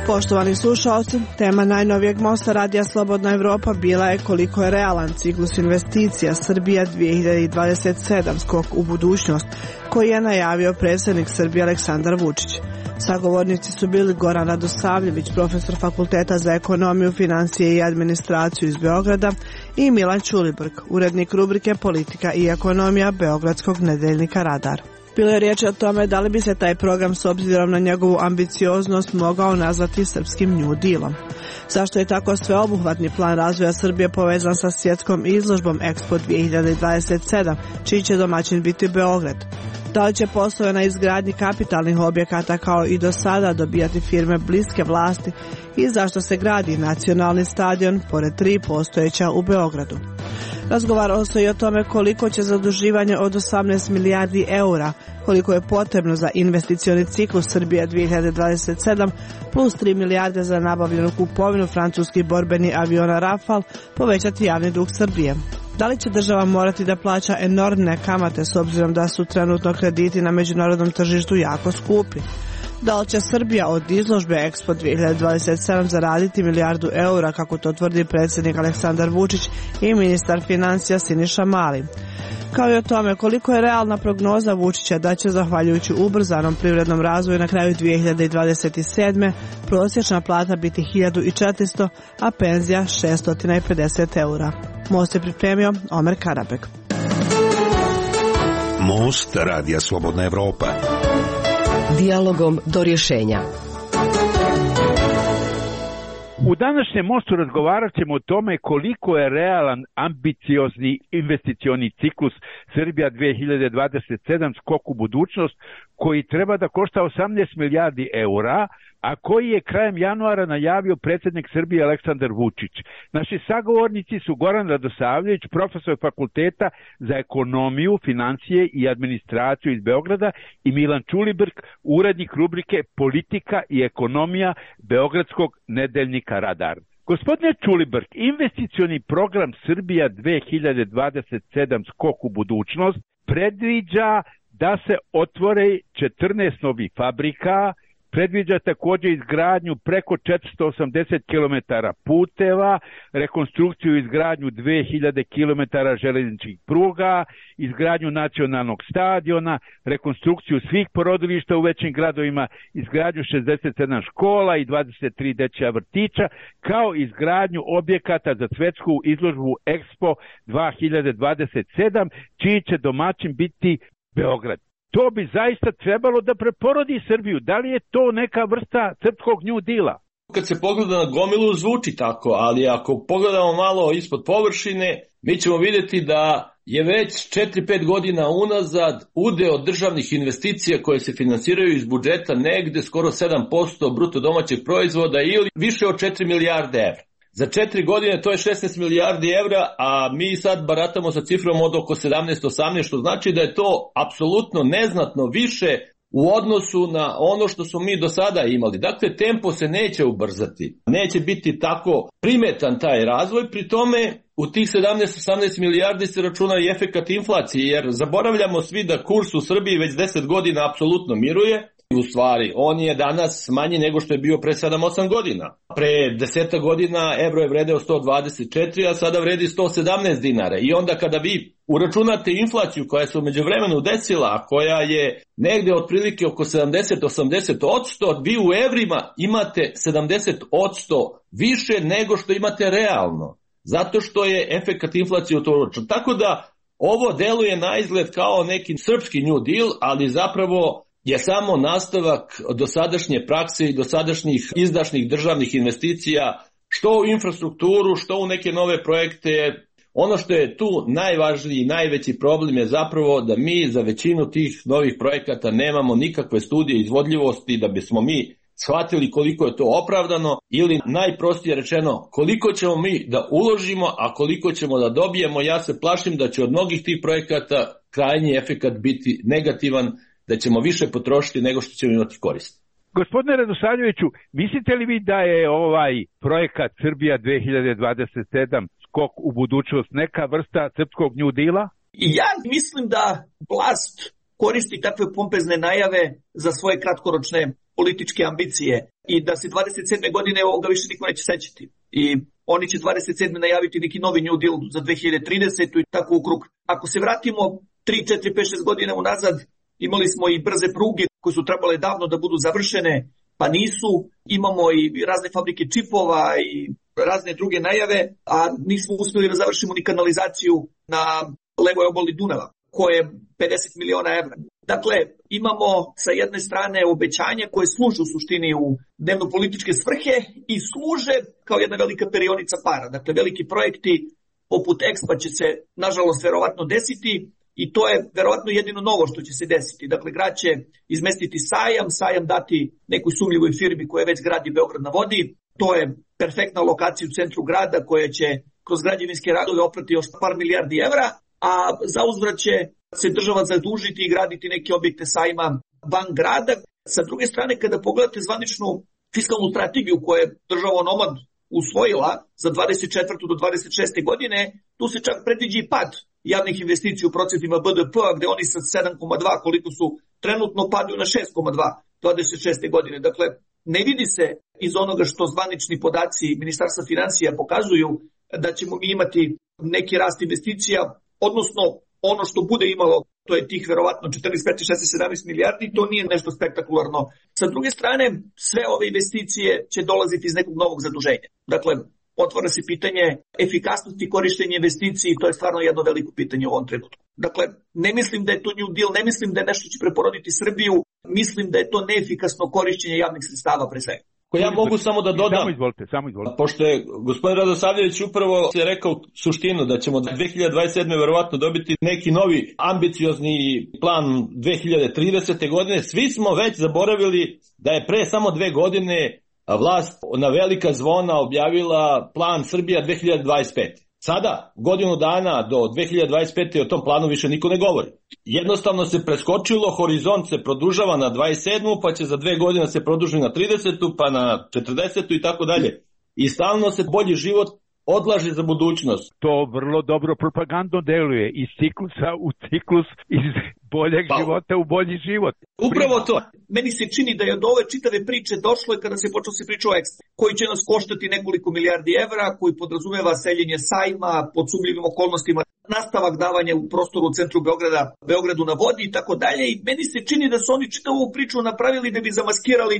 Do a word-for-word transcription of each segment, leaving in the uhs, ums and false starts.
Poštovani slušalci, tema najnovijeg mosta Radija Slobodna Evropa bila je koliko je realan ciklus investicija Srbija dvije hiljade dvadeset sedam skok u budućnost, koji je najavio predsjednik Srbije Aleksandar Vučić. Sagovornici su bili Goran Radosavljević, profesor Fakulteta za ekonomiju, financije i administraciju iz Beograda, i Milan Ćulibrk, urednik rubrike Politika i ekonomija Beogradskog nedeljnika Radar. Bilo je riječ o tome da li bi se taj program s obzirom na njegovu ambicioznost mogao nazvati srpskim New Dealom. Zašto je tako sveobuhvatni plan razvoja Srbije povezan sa svjetskom izložbom Expo dvije hiljade dvadeset sedam, čiji će domaćin biti Beograd? Da li će poslove na izgradnji kapitalnih objekata kao i do sada dobijati firme bliske vlasti i zašto se gradi nacionalni stadion pored tri postojeća u Beogradu? Razgovaralo se i o tome koliko će zaduživanje od osamnaest milijardi eura, koliko je potrebno za investicioni ciklus Srbija dvije hiljade dvadeset sedam, plus tri milijarde za nabavljenu kupovinu francuskih borbenih aviona Rafale, povećati javni dug Srbije. Da li će država morati da plaća enormne kamate s obzirom da su trenutno krediti na međunarodnom tržištu jako skupi? Da li će Srbija od izložbe Expo dvije hiljade dvadeset sedam zaraditi milijardu eura, kako to tvrdi predsjednik Aleksandar Vučić i ministar financija Siniša Mali? Kao i o tome koliko je realna prognoza Vučića da će, zahvaljujući ubrzanom privrednom razvoju, na kraju dvije hiljade dvadeset sedme prosječna plata biti hiljadu četiristo, a penzija šesto pedeset eura. Most je pripremio Omer Karabek. Most Radija Slobodna Evropa. Dijalogom do rješenja. U današnjem mostu razgovarat ćemo o tome koliko je realan, ambiciozni investicioni ciklus Srbija dvije hiljade dvadeset sedam skok u budućnost, koji treba da košta osamnaest milijardi eura, a koji je krajem januara najavio predsjednik Srbije Aleksandar Vučić. Naši sagovornici su Goran Radosavljević, profesor Fakulteta za ekonomiju, financije i administraciju iz Beograda, i Milan Ćulibrk, urednik rubrike Politika i ekonomija Beogradskog nedeljnika Radar. Gospodine Ćulibrk, investicioni program Srbija dvije hiljade dvadeset sedam skok u budućnost predviđa da se otvore četrnaest novih fabrika, predviđa također izgradnju preko četiristo osamdeset kilometara puteva, rekonstrukciju i izgradnju dvije hiljade kilometara željezničkih pruga, izgradnju nacionalnog stadiona, rekonstrukciju svih porodilišta u većim gradovima, izgradnju šezdeset sedam škola i dvadeset tri dečja vrtića, kao izgradnju objekata za svjetsku izložbu Expo dvije hiljade dvadeset sedam, čiji će domaćin biti Beograd. To bi zaista trebalo da preporodi Srbiju. Da li je to neka vrsta srpskog New Deala? Kad se pogleda na gomilu zvuči tako, ali ako pogledamo malo ispod površine, mi ćemo vidjeti da je već četiri pet godina unazad udeo državnih investicija koje se finansiraju iz budžeta negde skoro sedam posto bruto domaćeg proizvoda ili više od četiri milijarde evra. Za četiri godine to je šesnaest milijardi evra, a mi sad baratamo sa cifrom od oko sedamnaest osamnaest, što znači da je to apsolutno neznatno više u odnosu na ono što smo mi do sada imali. Dakle, tempo se neće ubrzati, neće biti tako primetan taj razvoj, pri tome u tih sedamnaest osamnaest milijardi se računa i efekat inflacije, jer zaboravljamo svi da kurs u Srbiji već deset godina apsolutno miruje. U stvari, on je danas manji nego što je bio pre sedam osam godina. Pre deset godina evro je vredeo sto dvadeset četiri, a sada vredi sto sedamnaest dinara. I onda kada vi uračunate inflaciju koja se u međuvremenu desila, a koja je negde otprilike oko sedamdeset do osamdeset odsto, vi u evrima imate sedamdeset odsto više nego što imate realno. Zato što je efekat inflacije u to uračun. Tako da ovo deluje na izgled kao neki srpski New Deal, ali zapravo je samo nastavak dosadašnje prakse i dosadašnjih izdašnih državnih investicija, što u infrastrukturu, što u neke nove projekte. Ono što je tu najvažniji i najveći problem je zapravo da mi za većinu tih novih projekata nemamo nikakve studije izvodljivosti da bismo mi shvatili koliko je to opravdano, ili najprostije rečeno koliko ćemo mi da uložimo, a koliko ćemo da dobijemo. Ja se plašim da će od mnogih tih projekata krajnji efekat biti negativan, da ćemo više potrošiti nego što ćemo imati korist. Gospodine Radosavljeviću, mislite li vi da je ovaj projekat Srbija dvije hiljade dvadeset sedam skok u budućnost neka vrsta srpskog New Deala? I ja mislim da vlast koristi takve pompezne najave za svoje kratkoročne političke ambicije i da se dvadeset sedme godine ovoga više niko neće sećati. I oni će dvadeset sedme najaviti neki novi New Deal za dve hiljade tridesetu i tako u krug. Ako se vratimo tri, četiri, pet, šest godina unazad, imali smo i brze pruge koje su trebale davno da budu završene, pa nisu. Imamo i razne fabrike čipova i razne druge najave, a nismo uspjeli da završimo ni kanalizaciju na levoj obali Dunava, koje je pedeset miliona evra. Dakle, imamo sa jedne strane obećanja koje služe u suštini u dnevno-političke svrhe i služe kao jedna velika perionica para. Dakle, veliki projekti poput Expa će se, nažalost, verovatno desiti i to je verovatno jedino novo što će se desiti. Dakle, grad će izmestiti sajam, sajam dati nekoj sumnjivoj firmi koja već gradi Beograd na vodi. To je perfektna lokacija u centru grada koja će kroz građevinske radove oprati još par milijardi evra, a za uzvrat će se država zadužiti i graditi neke objekte sajma van grada. Sa druge strane, kada pogledate zvaničnu fiskalnu strategiju koju je država onomad usvojila za dvadeset četvrtu do dvadeset šeste godine, tu se čak predviđa i pad javnih investicija u procentima B D P-a, gde oni sa sedam zarez dva koliko su trenutno padaju na šest zarez dva dvadeset šeste godine. Dakle, ne vidi se iz onoga što zvanični podaci Ministarstva finansija pokazuju da ćemo mi imati neki rast investicija, odnosno ono što bude imalo, to je tih verovatno četrnaest, petnaest, šesnaest, sedamnaest milijardi, to nije nešto spektakularno. Sa druge strane, sve ove investicije će dolaziti iz nekog novog zaduženja. Dakle, otvara se pitanje efikasnosti korištenja investiciji, to je stvarno jedno veliko pitanje u ovom trenutku. Dakle, ne mislim da je to New Deal, ne mislim da je nešto će preporoditi Srbiju, mislim da je to neefikasno korištenje javnih sredstava pre svega. Ja mogu samo da dodam, samo izvolite, samo izvolite. Pošto je gospodin Radosavljević upravo je rekao suštinu da ćemo dve hiljade dvadeset sedme verovatno dobiti neki novi ambiciozni plan dve hiljade tridesete godine, svi smo već zaboravili da je pre samo dve godine vlast na velika zvona objavila plan Srbija dve hiljade dvadeset pete. Sada, godinu dana do dve hiljade dvadeset pete o tom planu više niko ne govori. Jednostavno se preskočilo, horizont se produžava na dvadeset sedmu, pa će za dve godine se produži na tridesetu, pa na četrdesetu i tako dalje. I stalno se bolji život odlaže za budućnost. To vrlo dobro propagandno deluje iz ciklusa u ciklus, iz boljeg pa, života u bolji život. Upravo to. Meni se čini da je od ove čitave priče došlo je kada se počeo se priča o Expo, koji će nas koštati nekoliko milijardi evra, koji podrazumeva seljenje sajma pod sumnjivim okolnostima, nastavak davanja u prostoru u centru Beograda, Beogradu na vodi i tako dalje. I meni se čini da su oni čitavu ovu priču napravili da bi zamaskirali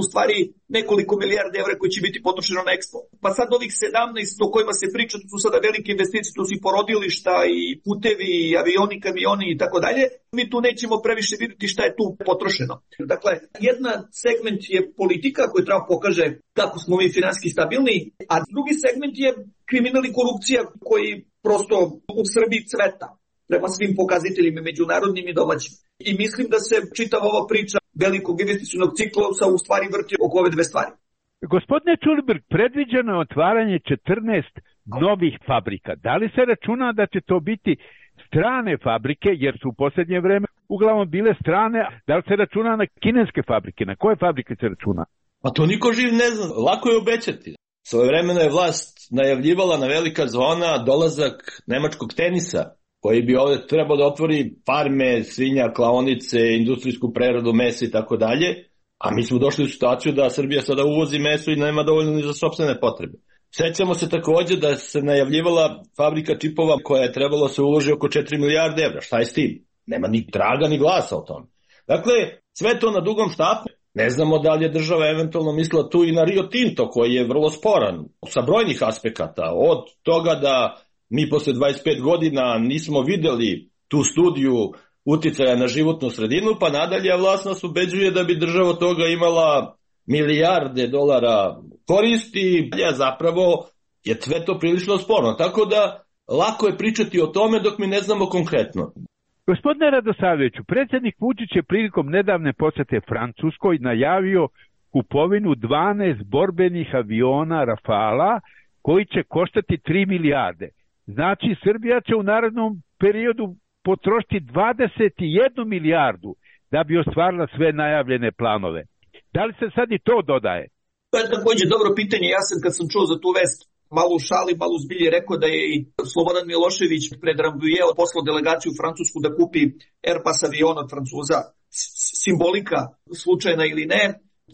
u stvari nekoliko milijarde evra koji će biti potrošeno na Expo. Pa sad ovih sedamnaest o kojima se priča, to su sada velike investicije, to su i porodilišta i putevi, i avioni, kamioni i tako dalje. Mi tu nećemo previše vidjeti šta je tu potrošeno. Dakle, jedna segment je politika koja treba pokaže kako smo mi finansijski stabilni, a drugi segment je kriminal i korupcija koji prosto u Srbiji cveta prema svim pokazateljima međunarodnim i domaćim. I mislim da se čitava ova priča velikog investicionog ciklusa u stvari vrti oko ove dve stvari. Gospodine Čulibrk, predviđeno je otvaranje četrnaest novih fabrika. Da li se računa da će to biti strane fabrike, jer su u posljednje vreme uglavnom bile strane, da li se računa na kineske fabrike? Na koje fabrike se računa? Pa to niko živ ne zna, lako je obećati. Svojevremeno je vlast najavljivala na velika zvona dolazak nemačkog tenisa, koji bi ovdje trebao da otvori farme, svinja, klaonice, industrijsku preradu, mesa i tako dalje, a mi smo došli u situaciju da Srbija sada uvozi meso i nema dovoljno ni za sopstvene potrebe. Sećamo se također da se najavljivala fabrika čipova koja je trebalo se uloži oko četiri milijarde evra. Šta je s tim? Nema ni traga ni glasa o tome. Dakle, sve to na dugom štapu. Ne znamo da li je država eventualno mislila tu i na Rio Tinto koji je vrlo sporan sa brojnih aspekata. Od toga da mi posle dvadeset pet godina nismo videli tu studiju uticaja na životnu sredinu, pa nadalje vlast nas ubeđuje da bi država od toga imala milijarde dolara koristi, a zapravo je sve to prilično sporno. Tako da lako je pričati o tome dok mi ne znamo konkretno. Gospodine Radosavljeviću, predsjednik Vučić je prilikom nedavne posete Francuskoj najavio kupovinu dvanaest borbenih aviona Rafala koji će koštati tri milijarde. Znači, Srbija će u narednom periodu potrošiti dvadeset jednu milijardu da bi ostvarila sve najavljene planove. Da li se sad i to dodaje? To je također dobro pitanje. Ja sam kad sam čuo za tu vest malo u šali, malo u zbilji rekao da je i Slobodan Milošević pred Rambuje poslao delegaciju u Francusku da kupi Airbus avion od Francuza. Simbolika, slučajna ili ne,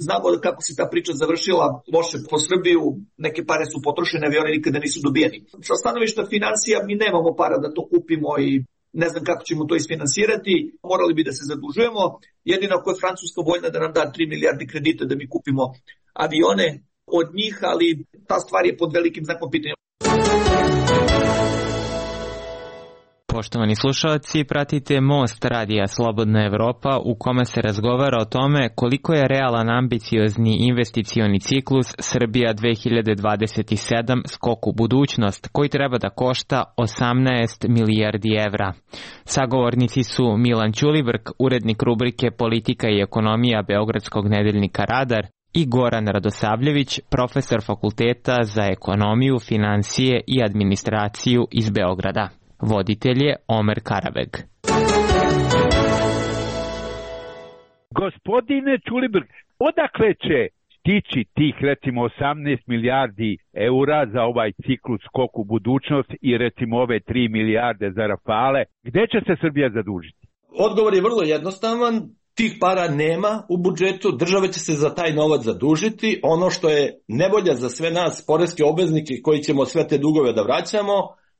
znamo kako se ta priča završila loše po Srbiju, neke pare su potrošene, avioni nikada nisu dobijeni. Sa stanovišta financija mi nemamo para da to kupimo i ne znam kako ćemo to isfinansirati, morali bi da se zadužujemo, jedino ako je Francuska voljna da nam da tri milijarde kredita da mi kupimo avione od njih, ali ta stvar je pod velikim znakom pitanja. Poštovani slušalci, pratite Most radija Slobodna Evropa u kome se razgovara o tome koliko je realan ambiciozni investicioni ciklus Srbija dve hiljade dvadeset sedam skok u budućnost koji treba da košta osamnaest milijardi evra. Sagovornici su Milan Ćulibrk, urednik rubrike Politika i ekonomija Beogradskog nedeljnika Radar, i Goran Radosavljević, profesor Fakulteta za ekonomiju, finansije i administraciju iz Beograda. Voditelj je Omer Karabeg. Gospodine Ćulibrk, odakle će stići tih recimo osamnaest milijardi eura za ovaj ciklus skok u budućnost i recimo ove tri milijarde za Rafale? Gde će se Srbija zadužiti? Odgovor je vrlo jednostavan. Tih para nema u budžetu, država će se za taj novac zadužiti. Ono što je nevolja za sve nas, poreske obveznike koji ćemo sve te dugove da vraćamo,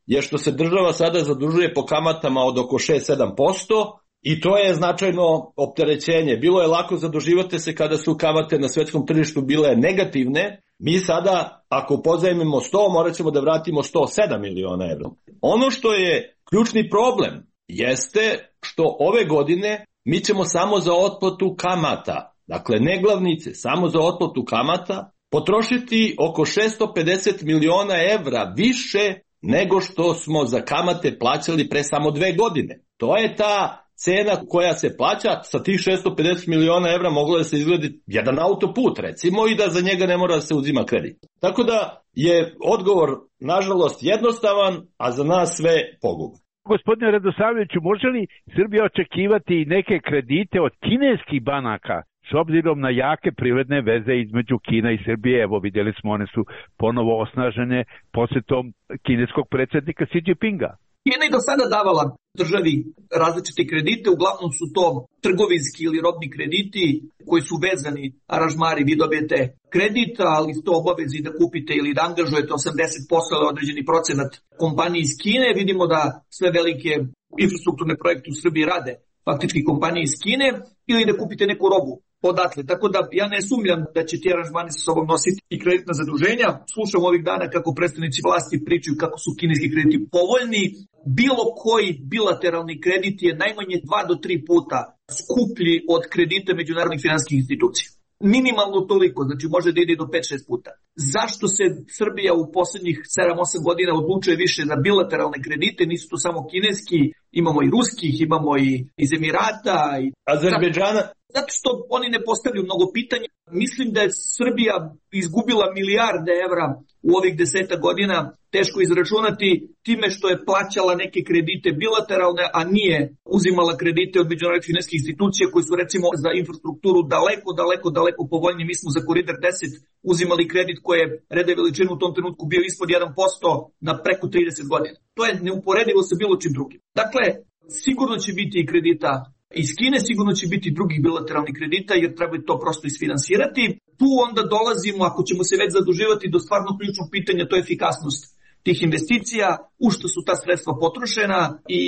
je što se država sada zadužuje po kamatama od oko šest do sedam posto i to je značajno opterećenje. Bilo je lako zaduživati se kada su kamate na svetskom tržištu bile negativne. Mi sada, ako pozajmimo sto, morat ćemo da vratimo sto sedam miliona evra. Ono što je ključni problem jeste što ove godine mi ćemo samo za otplatu kamata, dakle ne glavnice, samo za otplatu kamata, potrošiti oko šesto pedeset miliona evra više nego što smo za kamate plaćali pre samo dve godine. To je ta cena koja se plaća, sa tih šesto pedeset miliona evra moglo da se izgledi jedan autoput recimo i da za njega ne mora da se uzima kredit. Tako da je odgovor nažalost jednostavan, a za nas sve poguban. Gospodine Radosavljeviću, može li Srbija očekivati neke kredite od kineskih banaka s obzirom na jake privredne veze između Kina i Srbije? Evo vidjeli smo, one su ponovo osnažene posjetom kineskog predsjednika Xi Jinpinga. Kina je do sada davala državi različite kredite, uglavnom su to trgovinski ili robni krediti koji su vezani aranžmari, vi dobijete kredit, ali ste obavezi da kupite ili da angažujete osamdeset posto ili određeni procenat kompanije iz Kine. Vidimo da sve velike infrastrukturne projekte u Srbiji rade faktički kompanije iz Kine ili da kupite neku robu odatle. Tako da ja ne sumnjam da će ti aranžmani sa sobom nositi i kreditna zaduženja. Slušam ovih dana kako predstavnici vlasti pričaju kako su kineski krediti povoljni. Bilo koji bilateralni kredit je najmanje dva do tri puta skuplji od kredita međunarodnih finansijskih institucija. Minimalno toliko, znači može da ide do pet šest puta. Zašto se Srbija u poslednjih sedam osam godina odlučuje više na bilateralne kredite? Nisu to samo kineski, imamo i ruskih, imamo i iz Emirata. I Azerbejdžana. Zato što oni ne postavljaju mnogo pitanja. Mislim da je Srbija izgubila milijarde evra u ovih deseta godina, teško izračunati, time što je plaćala neke kredite bilateralne, a nije uzimala kredite od međunarodnih finansijskih institucija koji su recimo za infrastrukturu daleko, daleko, daleko povoljniji. Mi smo za Koridor deset uzimali kredit koji je reda veličinu u tom trenutku bio ispod jedan posto na preko trideset godina. To je neuporedivo sa bilo čim drugim. Dakle, sigurno će biti i kredita iz Kine, sigurno će biti drugih bilateralnih kredita jer treba to prosto isfinansirati. Tu onda dolazimo, ako ćemo se već zaduživati, do stvarno ključnog pitanja, to je efikasnost tih investicija, u što su ta sredstva potrošena i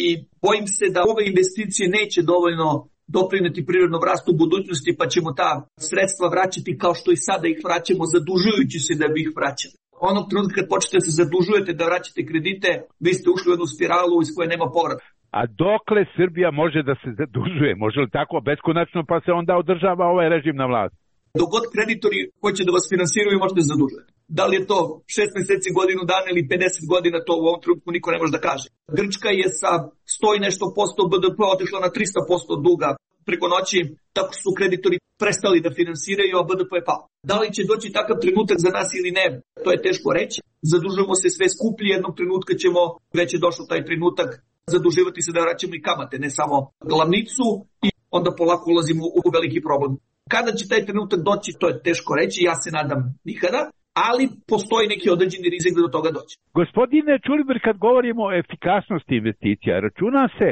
bojim se da ove investicije neće dovoljno doprineti privrednom rastu u budućnosti, pa ćemo ta sredstva vraćati kao što i sada ih vraćamo, zadužujući se da bi ih vraćali. Onog trenutka kad počnete da se zadužujete da vraćate kredite, vi ste ušli u jednu spiralu iz koje nema povrata. A dokle Srbija može da se zadužuje? Može li tako beskonačno pa se onda održava ovaj režim na vlasti? Dok god kreditori hoće da vas finansiraju, možete da zadužujete. Da li je to šest meseci, godinu dana ili pedeset godina, to u ovom trenutku niko ne može da kaže. Grčka je sa sto i nešto posto B D P otišla na trista posto duga preko noći, tako su kreditori prestali da finansiraju, a B D P je pao. Da li će doći takav trenutak za nas ili ne, to je teško reći. Zadužujemo se sve skuplji, jednog trenutka ćemo, već je došao taj trenutak, zaduživati se da vraćamo i kamate, ne samo glavnicu, i onda polako ulazimo u veliki problem. Kada će taj trenutak doći, to je teško reći, ja se nadam nikada. ali postoji neki određeni rizik da do toga dođe. Gospodine Ćulibrk, kad govorimo o efikasnosti investicija, računa se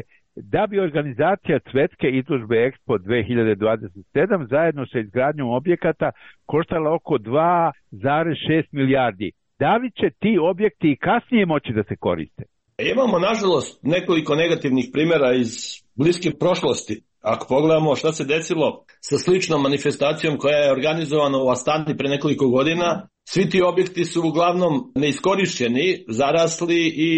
da bi organizacija Svetske izložbe Expo dve hiljade dvadeset sedam zajedno sa izgradnjom objekata koštala oko dva zarez šest milijardi. Da li će ti objekti i kasnije moći da se koriste? Imamo, nažalost, nekoliko negativnih primjera iz bliske prošlosti. Ako pogledamo šta se desilo sa sličnom manifestacijom koja je organizovana u Astani pre nekoliko godina, svi ti objekti su uglavnom neiskorišćeni, zarasli i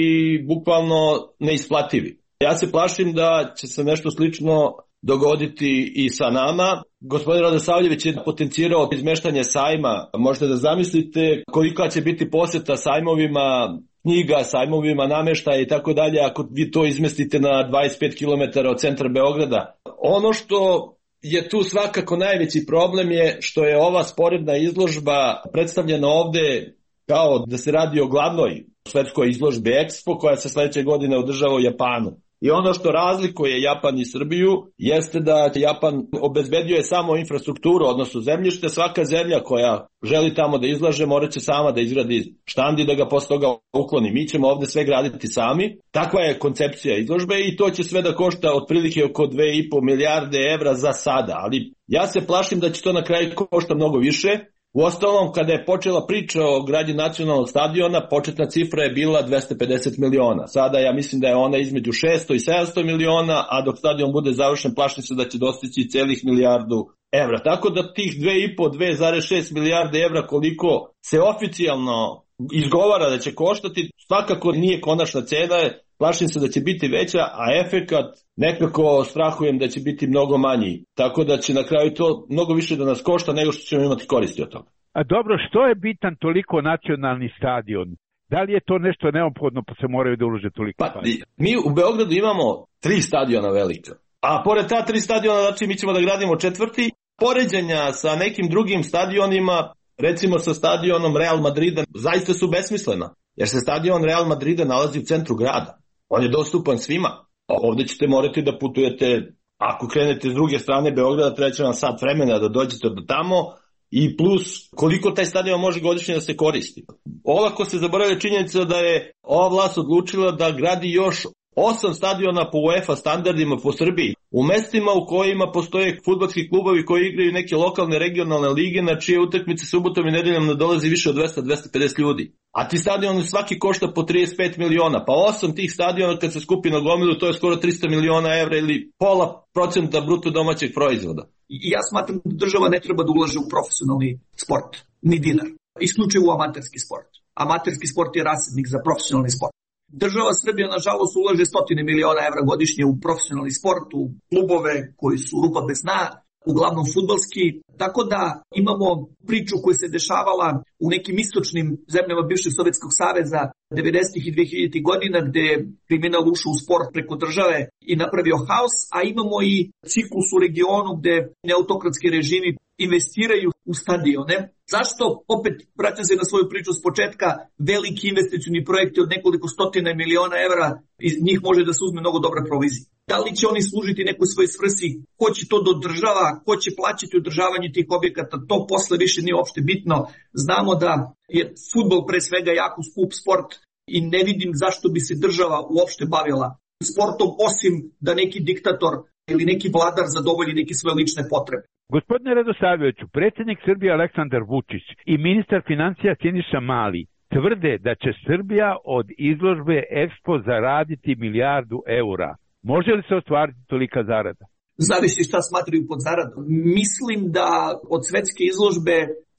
bukvalno neisplativi. Ja se plašim da će se nešto slično dogoditi i sa nama. Gospodin Radosavljević je potencirao izmeštanje sajma. Možete da zamislite kolika će biti poseta sajmovima knjiga, sajmovima nameštaja i tako dalje ako vi to izmestite na dvadeset pet kilometara od centra Beograda. Ono što je tu svakako najveći problem je što je ova sporedna izložba predstavljena ovde kao da se radi o glavnoj svetskoj izložbi Expo koja se sledeće godine održava u Japanu. I ono što razlikuje Japan i Srbiju jeste da Japan obezbeđuje samo infrastrukturu, odnosno zemljište. Svaka zemlja koja želi tamo da izlaže morat će sama da izgradi štand i da ga posle toga ukloni. Mi ćemo ovde sve graditi sami. Takva je koncepcija izložbe i to će sve da košta otprilike oko dve i po milijarde evra za sada. Ali ja se plašim da će to na kraju košta mnogo više. Uostalom, kada je počela priča o gradnji nacionalnog stadiona, početna cifra je bila dvesta pedeset miliona. Sada ja mislim da je ona između šesto i sedamsto miliona, a dok stadion bude završen, plašim se da će dostići celih milijardu evra. Tako da tih dve i po, dve zarez šest milijarde evra koliko se oficijalno izgovara da će koštati, svakako nije konačna cena, plašim se da će biti veća, a efekat nekako strahujem da će biti mnogo manji. Tako da će na kraju to mnogo više da nas košta nego što ćemo imati koristi od toga. A dobro, što je bitan toliko nacionalni stadion? Da li je to nešto neophodno pa se moraju da ulože toliko? Pa, mi u Beogradu imamo tri stadiona velika. A pored ta tri stadiona, znači mi ćemo da gradimo četvrti. Poređenja sa nekim drugim stadionima, recimo sa stadionom Real Madrida, zaista su besmislena. Jer se stadion Real Madrida nalazi u centru grada. On je dostupan svima. Ovde ćete morati da putujete, ako krenete s druge strane Beograda, treba će vam sat vremena da dođete do tamo i plus koliko taj stadion može godišnje da se koristi. Olako se zaboravlja činjenica da je ova vlast odlučila da gradi još osam stadiona po UEFA standardima po Srbiji, u mestima u kojima postoje fudbalski klubovi koji igraju neke lokalne regionalne lige, na čije utakmice subotom i nedeljom nadolazi više od dvesta do dvesta pedeset ljudi. A ti stadioni svaki košta po trideset pet miliona, pa osam tih stadiona kad se skupi na gomilu, to je skoro trista miliona evra ili pola procenta bruto domaćeg proizvoda. I ja smatram da država ne treba da ulaže u profesionalni sport, ni dinar, isključivo u amaterski sport. Amaterski sport je rasadnik za profesionalni sport. Država Srbija, nažalost, ulaže stotine miliona evra godišnje u profesionalni sport, u klubove koji su rupa bez dna, uglavnom fudbalski, tako da imamo priču koja se dešavala u nekim istočnim zemljama bivšeg Sovjetskog saveza devedesetih i dvehiljaditih godina, gde je kriminal ušao u sport preko države i napravio haos, a imamo i ciklus u regionu gde neautokratski režimi investiraju u stadione. Zašto? Opet vraćam se na svoju priču s početka, veliki investicioni projekti od nekoliko stotina miliona evra, iz njih može da se uzme mnogo dobra provizija. Da li će oni služiti nekoj svoj svrsi, ko će to da održava, ko će plaćati održavanje tih objekata, to posle više nije uopšte bitno. Znamo da je fudbal pre svega jako skup sport i ne vidim zašto bi se država uopšte bavila sportom, osim da neki diktator ili neki vladar zadovolji neke svoje lične potrebe. Gospodine Radosavljeviću, predsjednik Srbije Aleksandar Vučić i ministar financija Siniša Mali tvrde da će Srbija od izložbe Expo zaraditi milijardu eura. Može li se ostvariti tolika zarada? Zavisi šta smatraju pod zaradom. Mislim da od svetske izložbe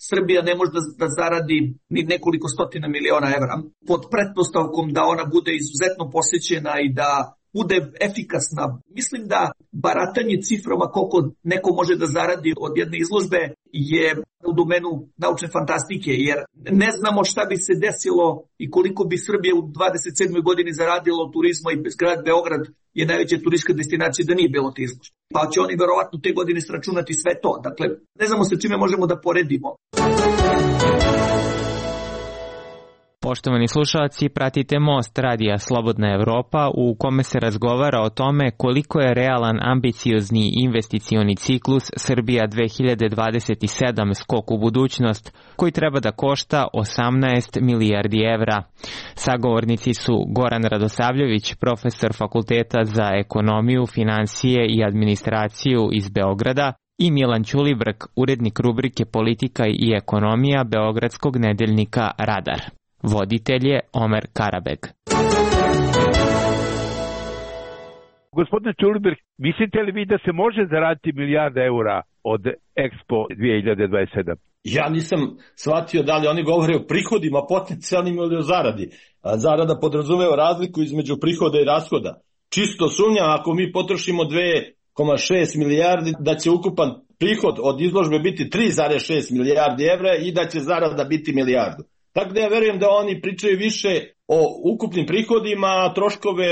Srbija ne može da zaradi ni nekoliko stotina miliona evra, pod pretpostavkom da ona bude izuzetno posjećena i da bude efikasna. Mislim da baratanje ciframa koliko neko može da zaradi od jedne izložbe je u domenu naučne fantastike, jer ne znamo šta bi se desilo i koliko bi Srbija u dvadeset sedmoj godini zaradila od turizma i grad Beograd je najveća turistička destinacija da nije bilo te izložbe. Pa će oni verovatno te godine sračunati sve to. Dakle, ne znamo sa čime možemo da poredimo. Poštovani slušalci, pratite Most radija Slobodna Evropa u kome se razgovara o tome koliko je realan ambiciozni investicioni ciklus Srbija dve hiljade dvadeset sedam skok u budućnost koji treba da košta osamnaest milijardi evra. Sagovornici su Goran Radosavljević, profesor Fakulteta za ekonomiju, finansije i administraciju iz Beograda, i Milan Ćulibrk, urednik rubrike Politika i ekonomija beogradskog nedeljnika Radar. Voditelj je Omer Karabeg. Gospodine Ćulibrk, mislite li vi da se može zaraditi milijarda eura od Expo dve hiljade dvadeset sedam? Ja nisam shvatio da li oni govore o prihodima potencijalnim ili o zaradi. A zarada podrazumeva razliku između prihoda i rashoda. Čisto sumnjam, ako mi potrošimo dve zarez šest milijardi, da će ukupan prihod od izložbe biti tri zarez šest milijardi evra i da će zarada biti milijardu. Tako da ja verujem da oni pričaju više o ukupnim prihodima, a troškove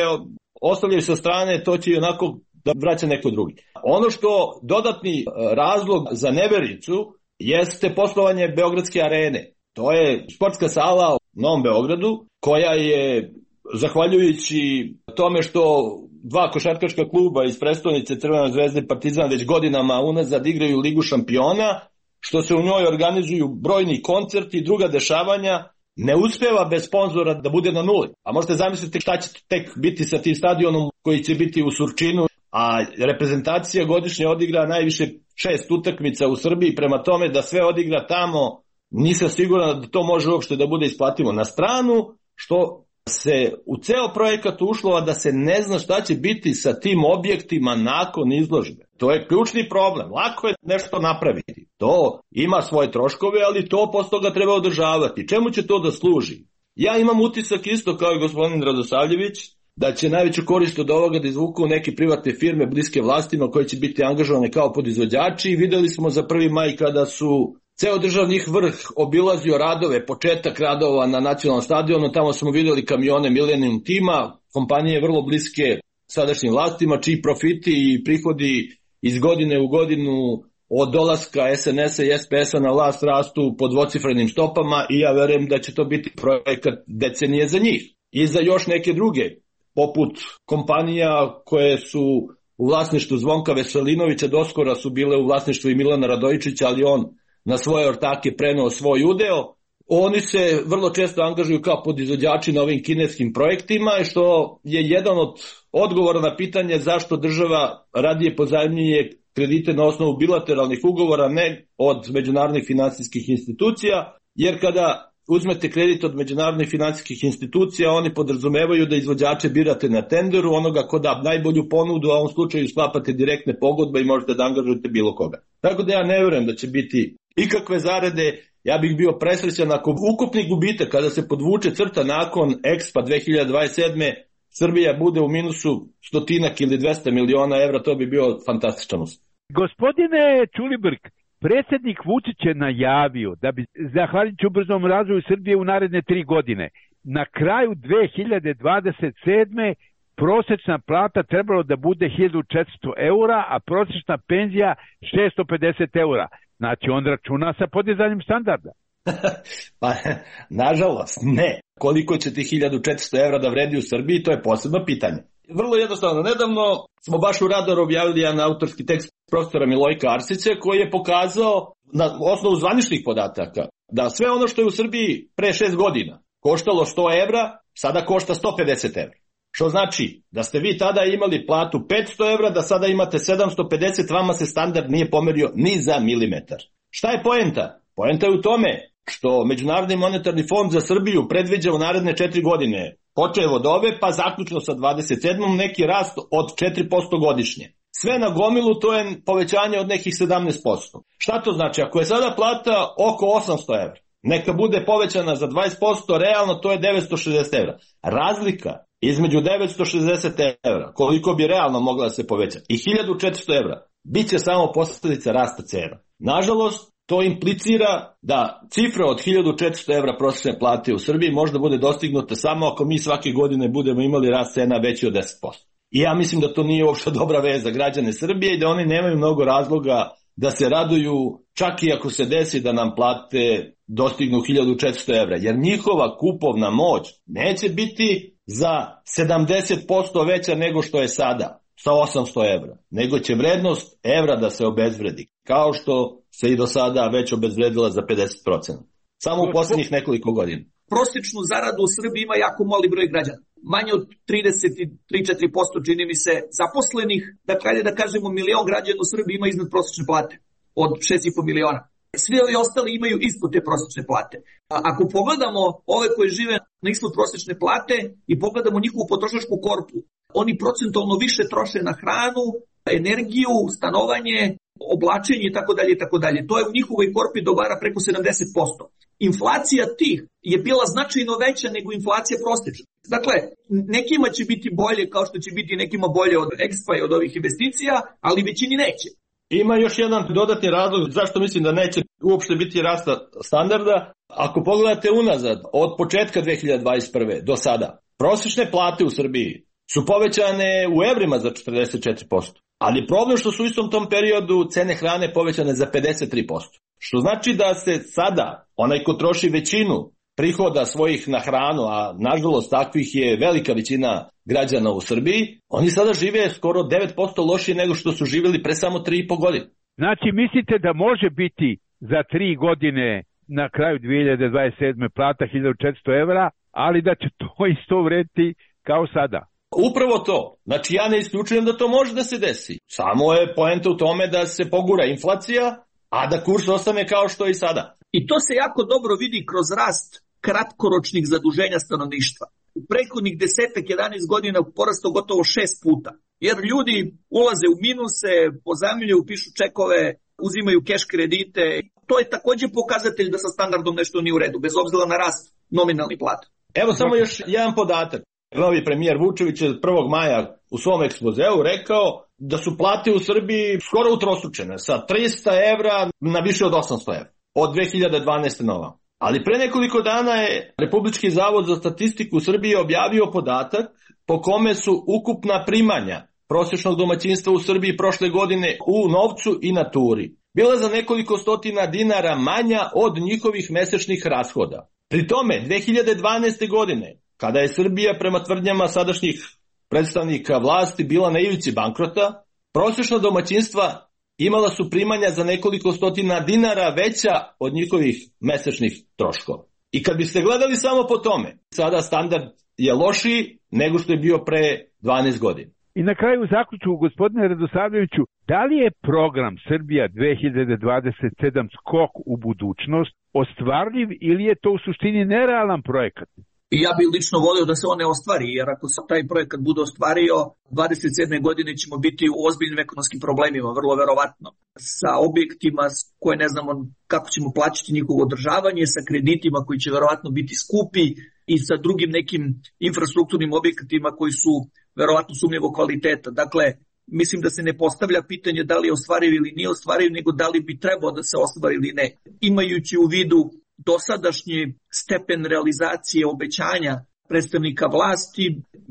ostavljaju sa strane, to će i onako da vraća neko drugi. Ono što dodatni razlog za nevericu jeste poslovanje Beogradske arene. To je sportska sala u Novom Beogradu koja je, zahvaljujući tome što dva košarkaška kluba iz prestonice Crvena zvezda i Partizan već godinama unazad igraju Ligu šampiona, što se u njoj organizuju brojni koncerti i druga dešavanja, ne uspeva bez sponzora da bude na nuli. A možete zamisliti šta će tek biti sa tim stadionom koji će biti u Surčinu, a reprezentacija godišnje odigra najviše šest utakmica u Srbiji, prema tome da sve odigra tamo, nisam siguran da to može uopšte da bude isplativo. Na stranu što se u ceo projekat ušlo da se ne zna šta će biti sa tim objektima nakon izložbe. To je ključni problem. Lako je nešto napraviti. To ima svoje troškove, ali to posle toga treba održavati. Čemu će to da služi? Ja imam utisak isto kao i gospodin Radosavljević da će najveću korist od ovoga da izvuku neke privatne firme bliske vlastima koje će biti angažovane kao podizvođači. Videli smo za prvi maj kada su ceo državnih vrh obilazio radove, početak radova na nacionalnom stadionu, tamo smo videli kamione Millennium tima, kompanije vrlo bliske sadašnjim vlastima, čiji profiti i prihodi iz godine u godinu od dolaska es en es-a i es pe es-a na vlast rastu po dvocifrenim stopama i ja verujem da će to biti projekat decenije za njih. I za još neke druge, poput kompanija koje su u vlasništvu Zvonka Veselinovića, doskora su bile u vlasništvu i Milana Radojičića, ali on na svoje ortake preneo svoj udeo. Oni se vrlo često angažuju kao podizvođači na ovim kineskim projektima, što je jedan od odgovora na pitanje zašto država radije pozajmljuje kredite na osnovu bilateralnih ugovora, ne od međunarodnih finansijskih institucija, jer kada uzmete kredit od međunarodnih finansijskih institucija, oni podrazumevaju da izvođače birate na tenderu, onoga ko da najbolju ponudu, a u ovom slučaju sklapate direktne pogodbe i možete da angažujete bilo koga. Tako da ja ne verujem da će biti ikakve zarade. Ja bih bio presrećan ako ukupni gubitak kada se podvuče crta nakon Expo dve hiljade dvadeset sedme Srbija bude u minusu stotinak ili dvesta miliona evra, to bi bio fantastičan uspeh. Gospodine Ćulibrk, predsjednik Vučić je najavio da bi zahvaljujući ubrzom razvoju Srbije u naredne tri godine na kraju dve hiljade dvadeset sedme prosječna plata trebalo da bude hiljadu četiristo eura, a prosječna penzija šesto pedeset eura. Znači on računa sa podizanjem standarda. Pa, nažalost, ne. Koliko će ti hiljadu četiristo evra da vredi u Srbiji, to je posebno pitanje. Vrlo jednostavno, nedavno smo baš u Radaru objavili jedan autorski tekst profesora Milojka Arsića koji je pokazao na osnovu zvaničnih podataka da sve ono što je u Srbiji pre šest godina koštalo sto evra, sada košta sto pedeset evra. Što znači da ste vi tada imali platu petsto evra, da sada imate sedamsto pedeset, vama se standard nije pomerio ni za milimetar. Šta je poenta? Poenta je u tome što Međunarodni monetarni fond za Srbiju predviđa u naredne četiri godine, počev od ove pa zaključno sa dvadeset sedmom neki rast od četiri posto godišnje. Sve na gomilu to je povećanje od nekih sedamnaest posto. Šta to znači? Ako je sada plata oko osamsto evra, neka bude povećana za dvadeset posto, realno to je devetsto šezdeset evra. Razlika između devetsto šezdeset evra, koliko bi realno mogla da se poveća, i hiljadu četiristo evra, bit će samo posljedica rasta cena. Nažalost, to implicira da cifra od hiljadu četiristo evra prosječne plate u Srbiji možda bude dostignuta samo ako mi svake godine budemo imali rast cena veći od deset posto. I ja mislim da to nije uopšte dobra veza za građane Srbije i da oni nemaju mnogo razloga da se raduju čak i ako se desi da nam plate dostignu hiljadu četiristo evra, jer njihova kupovna moć neće biti za sedamdeset posto veća nego što je sada sa osamsto evra, nego će vrednost evra da se obezvredi, kao što se i do sada već obezvredila za pedeset posto. Samo u posljednjih nekoliko godina. Prosječnu zaradu u Srbiji ima jako mali broj građana. Manje od trideset tri do četiri posto čini mi se zaposlenih. Dakle, da kažemo milion građana u Srbiji ima iznad prosječne plate od šest i po miliona. Svi ovi ostali imaju ispod te prosječne plate. A ako pogledamo ove koji žive na ispod prosječne plate i pogledamo njihovu potrošačku korpu, oni procentualno više troše na hranu, energiju, stanovanje, oblačenje i tako dalje i tako dalje. To je u njihovoj korpi dobara preko sedamdeset posto. Inflacija tih je bila značajno veća nego inflacija prosječna. Dakle, nekima će biti bolje kao što će biti nekima bolje od Expa i od ovih investicija, ali većini neće. Ima još jedan dodatni razlog zašto mislim da neće uopšte biti rasta standarda. Ako pogledate unazad, od početka dve hiljade dvadeset prve do sada, prosječne plate u Srbiji su povećane u evrima za četrdeset četiri posto. Ali problem što su u istom tom periodu cene hrane povećane za pedeset tri posto. Što znači da se sada onaj ko troši većinu prihoda svojih na hranu, a nažalost takvih je velika većina građana u Srbiji, oni sada žive skoro devet posto lošije nego što su živjeli pre samo tri i po godine. Znači, mislite da može biti za tri godine na kraju dve hiljade dvadeset sedme plata hiljadu četiristo evra, ali da će to isto vrediti kao sada? Upravo to. Znači, ja ne isključujem da to može da se desi. Samo je poenta u tome da se pogura inflacija, a da kurs ostane kao što je i sada. I to se jako dobro vidi kroz rast kratkoročnih zaduženja stanovništva. U prethodnih desetak jedanaest godina porastao gotovo šest puta. Jer ljudi ulaze u minuse, pozajmljuju, pišu čekove, uzimaju keš kredite. To je također pokazatelj da sa standardom nešto nije u redu, bez obzira na rast nominalnih plata. Evo samo još jedan podatak. Novi premijer Vučević je prvog maja u svom ekspozeu rekao da su plate u Srbiji skoro utrostručene, sa trista evra na više od osamsto evra, od dve hiljade dvanaeste nova. Ali pre nekoliko dana je Republički zavod za statistiku u Srbiji objavio podatak po kome su ukupna primanja prosječnog domaćinstva u Srbiji prošle godine u novcu i naturi bila za nekoliko stotina dinara manja od njihovih mesečnih rashoda. Pri tome, dve hiljade dvanaeste godine, kada je Srbija prema tvrdnjama sadašnjih predstavnika vlasti bila na ivici bankrota, prosječna domaćinstva imala su primanja za nekoliko stotina dinara veća od njihovih mesečnih troškova. I kad biste gledali samo po tome, sada standard je lošiji nego što je bio pre dvanaest godina. I na kraju zaključu, gospodine Radosavljeviću, da li je program Srbija dve hiljade dvadeset sedam skok u budućnost ostvarljiv ili je to u suštini nerealan projekat? I ja bih lično volio da se on ne ostvari, jer ako se taj projekat bude ostvario, dvadeset sedme godine ćemo biti u ozbiljnim ekonomskim problemima, vrlo verovatno. Sa objektima koje ne znamo kako ćemo plaćati njihovo održavanje, sa kreditima koji će verovatno biti skupi i sa drugim nekim infrastrukturnim objektima koji su verovatno sumnjivog kvaliteta. Dakle, mislim da se ne postavlja pitanje da li je ostvariv ili nije ostvariv, nego da li bi trebao da se ostvari ili ne. Imajući u vidu dosadašnji stepen realizacije obećanja predstavnika vlasti,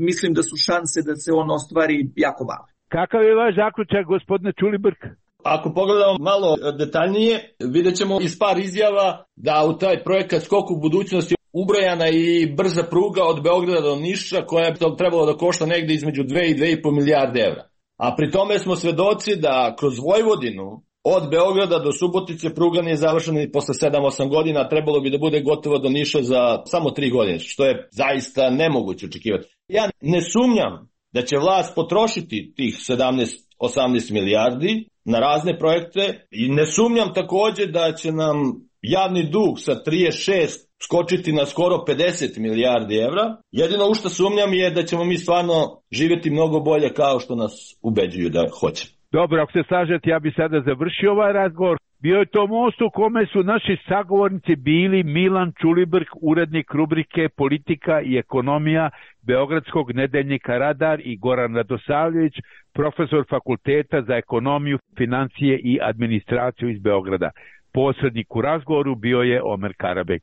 mislim da su šanse da se on ostvari jako male. Kakav je vaš zaključak, gospodine Ćulibrk? Ako pogledamo malo detaljnije, vidjet ćemo iz par izjava da u taj projekat Skok u budućnosti ubrojana i brza pruga od Beograda do Niša koja je trebalo da košta negde između dve i dve i po milijarde evra. A pri tome smo svedoci da kroz Vojvodinu od Beograda do Subotice pruga nije završena i posle sedam osam godina, trebalo bi da bude gotovo do Niša za samo tri godine, što je zaista nemoguće očekivati. Ja ne sumnjam da će vlast potrošiti tih sedamnaest osamnaest milijardi na razne projekte i ne sumnjam takođe da će nam javni dug sa trideset šest skočiti na skoro pedeset milijardi evra. Jedino u što sumnjam je da ćemo mi stvarno živjeti mnogo bolje kao što nas ubeđuju da hoće. Dobro, ako se slažete, ja bi sada završio ovaj razgovor. Bio je to most u kome su naši sagovornici bili Milan Ćulibrk, urednik rubrike Politika i ekonomija Beogradskog nedeljnika Radar, i Goran Radosavljević, profesor Fakulteta za ekonomiju, financije i administraciju iz Beograda. Posrednik u razgovoru bio je Omer Karabek.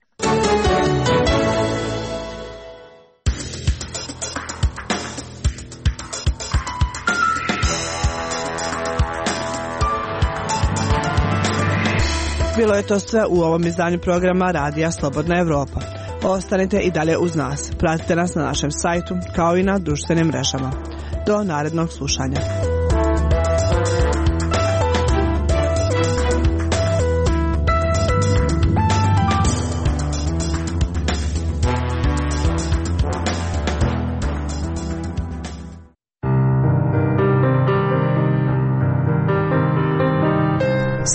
Bilo je to sve u ovom izdanju programa Radija Slobodna Evropa. Ostanite i dalje uz nas. Pratite nas na našem sajtu kao i na društvenim mrežama. Do narednog slušanja.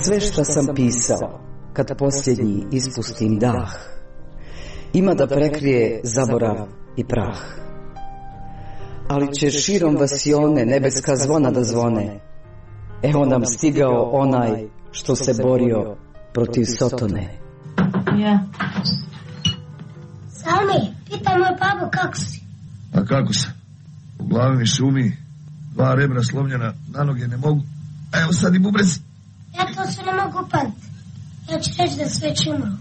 Sve što sam pisao, kad posljednji ispustim dah, ima da prekrije zaborav i prah. Ali će širom vasione nebeska zvona da zvone. Evo nam stigao onaj što se borio protiv Sotone. Ja. Salmi, pitaj moj babu kako si. A kako se? U glavi mi šumi, dva rebra slomljena, na noge ne mogu. A evo sad i bubrez. Ja to sve ne mogu upamtiti. Ja ću reći da sve čimao.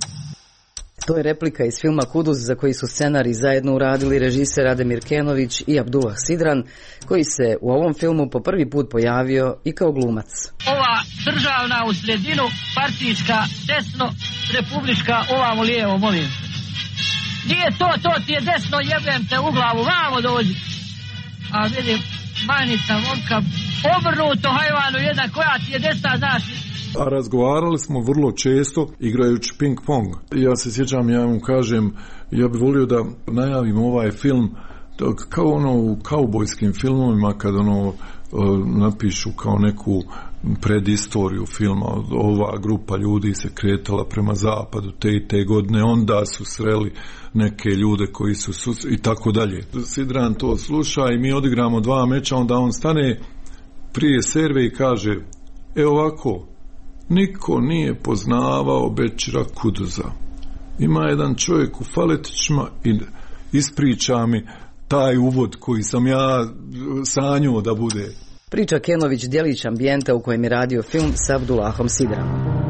To je replika iz filma Kuduz, za koji su scenarij zajedno uradili režiser Ademir Kenović i Abdullah Sidran, koji se u ovom filmu po prvi put pojavio i kao glumac. Ova državna u sredinu, partijska desno, republička ovamo lijevo, molim. Nije to, to ti je desno, jebem te u glavu, vamo dođi. A vidim, manica, momka, obrnuto hajvanu jedan, koja ti je desna, znaš. A razgovarali smo vrlo često igrajući ping pong. Ja se sjećam, ja mu kažem, ja bih volio da najavim ovaj film kao ono u kaubojskim filmovima, kad ono napišu kao neku predistoriju filma, ova grupa ljudi se kretala prema zapadu te i te godine, onda su sreli neke ljude koji su sus... i tako dalje. Sidran to sluša i mi odigramo dva meča, onda on stane prije serve i kaže, e ovako, niko nije poznavao Bećira Kuduza. Ima jedan čovjek u faletićima i ispriča mi taj uvod koji sam ja sanjao da bude. Priča Kenović djelić ambijenta u kojem je radio film s Abdullahom Sidranom.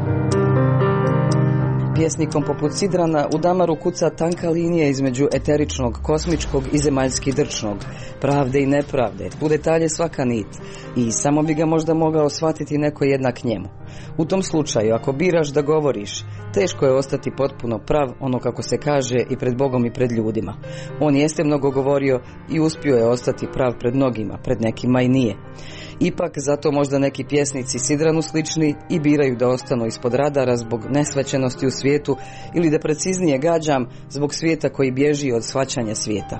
Pjesnikom poput Sidrana u damaru kuca tanka linija između eteričnog, kosmičkog i zemaljski drčnog, pravde i nepravde, u detalje svaka nit, i samo bi ga možda mogao shvatiti neko jednak njemu. U tom slučaju, ako biraš da govoriš, teško je ostati potpuno prav, ono kako se kaže, i pred Bogom i pred ljudima. On jeste mnogo govorio i uspio je ostati prav pred mnogima, pred nekima i nije. Ipak, zato možda neki pjesnici Sidranu slični i biraju da ostanu ispod radara zbog nesvećenosti u svijetu, ili da preciznije gađam, zbog svijeta koji bježi od shvaćanja svijeta.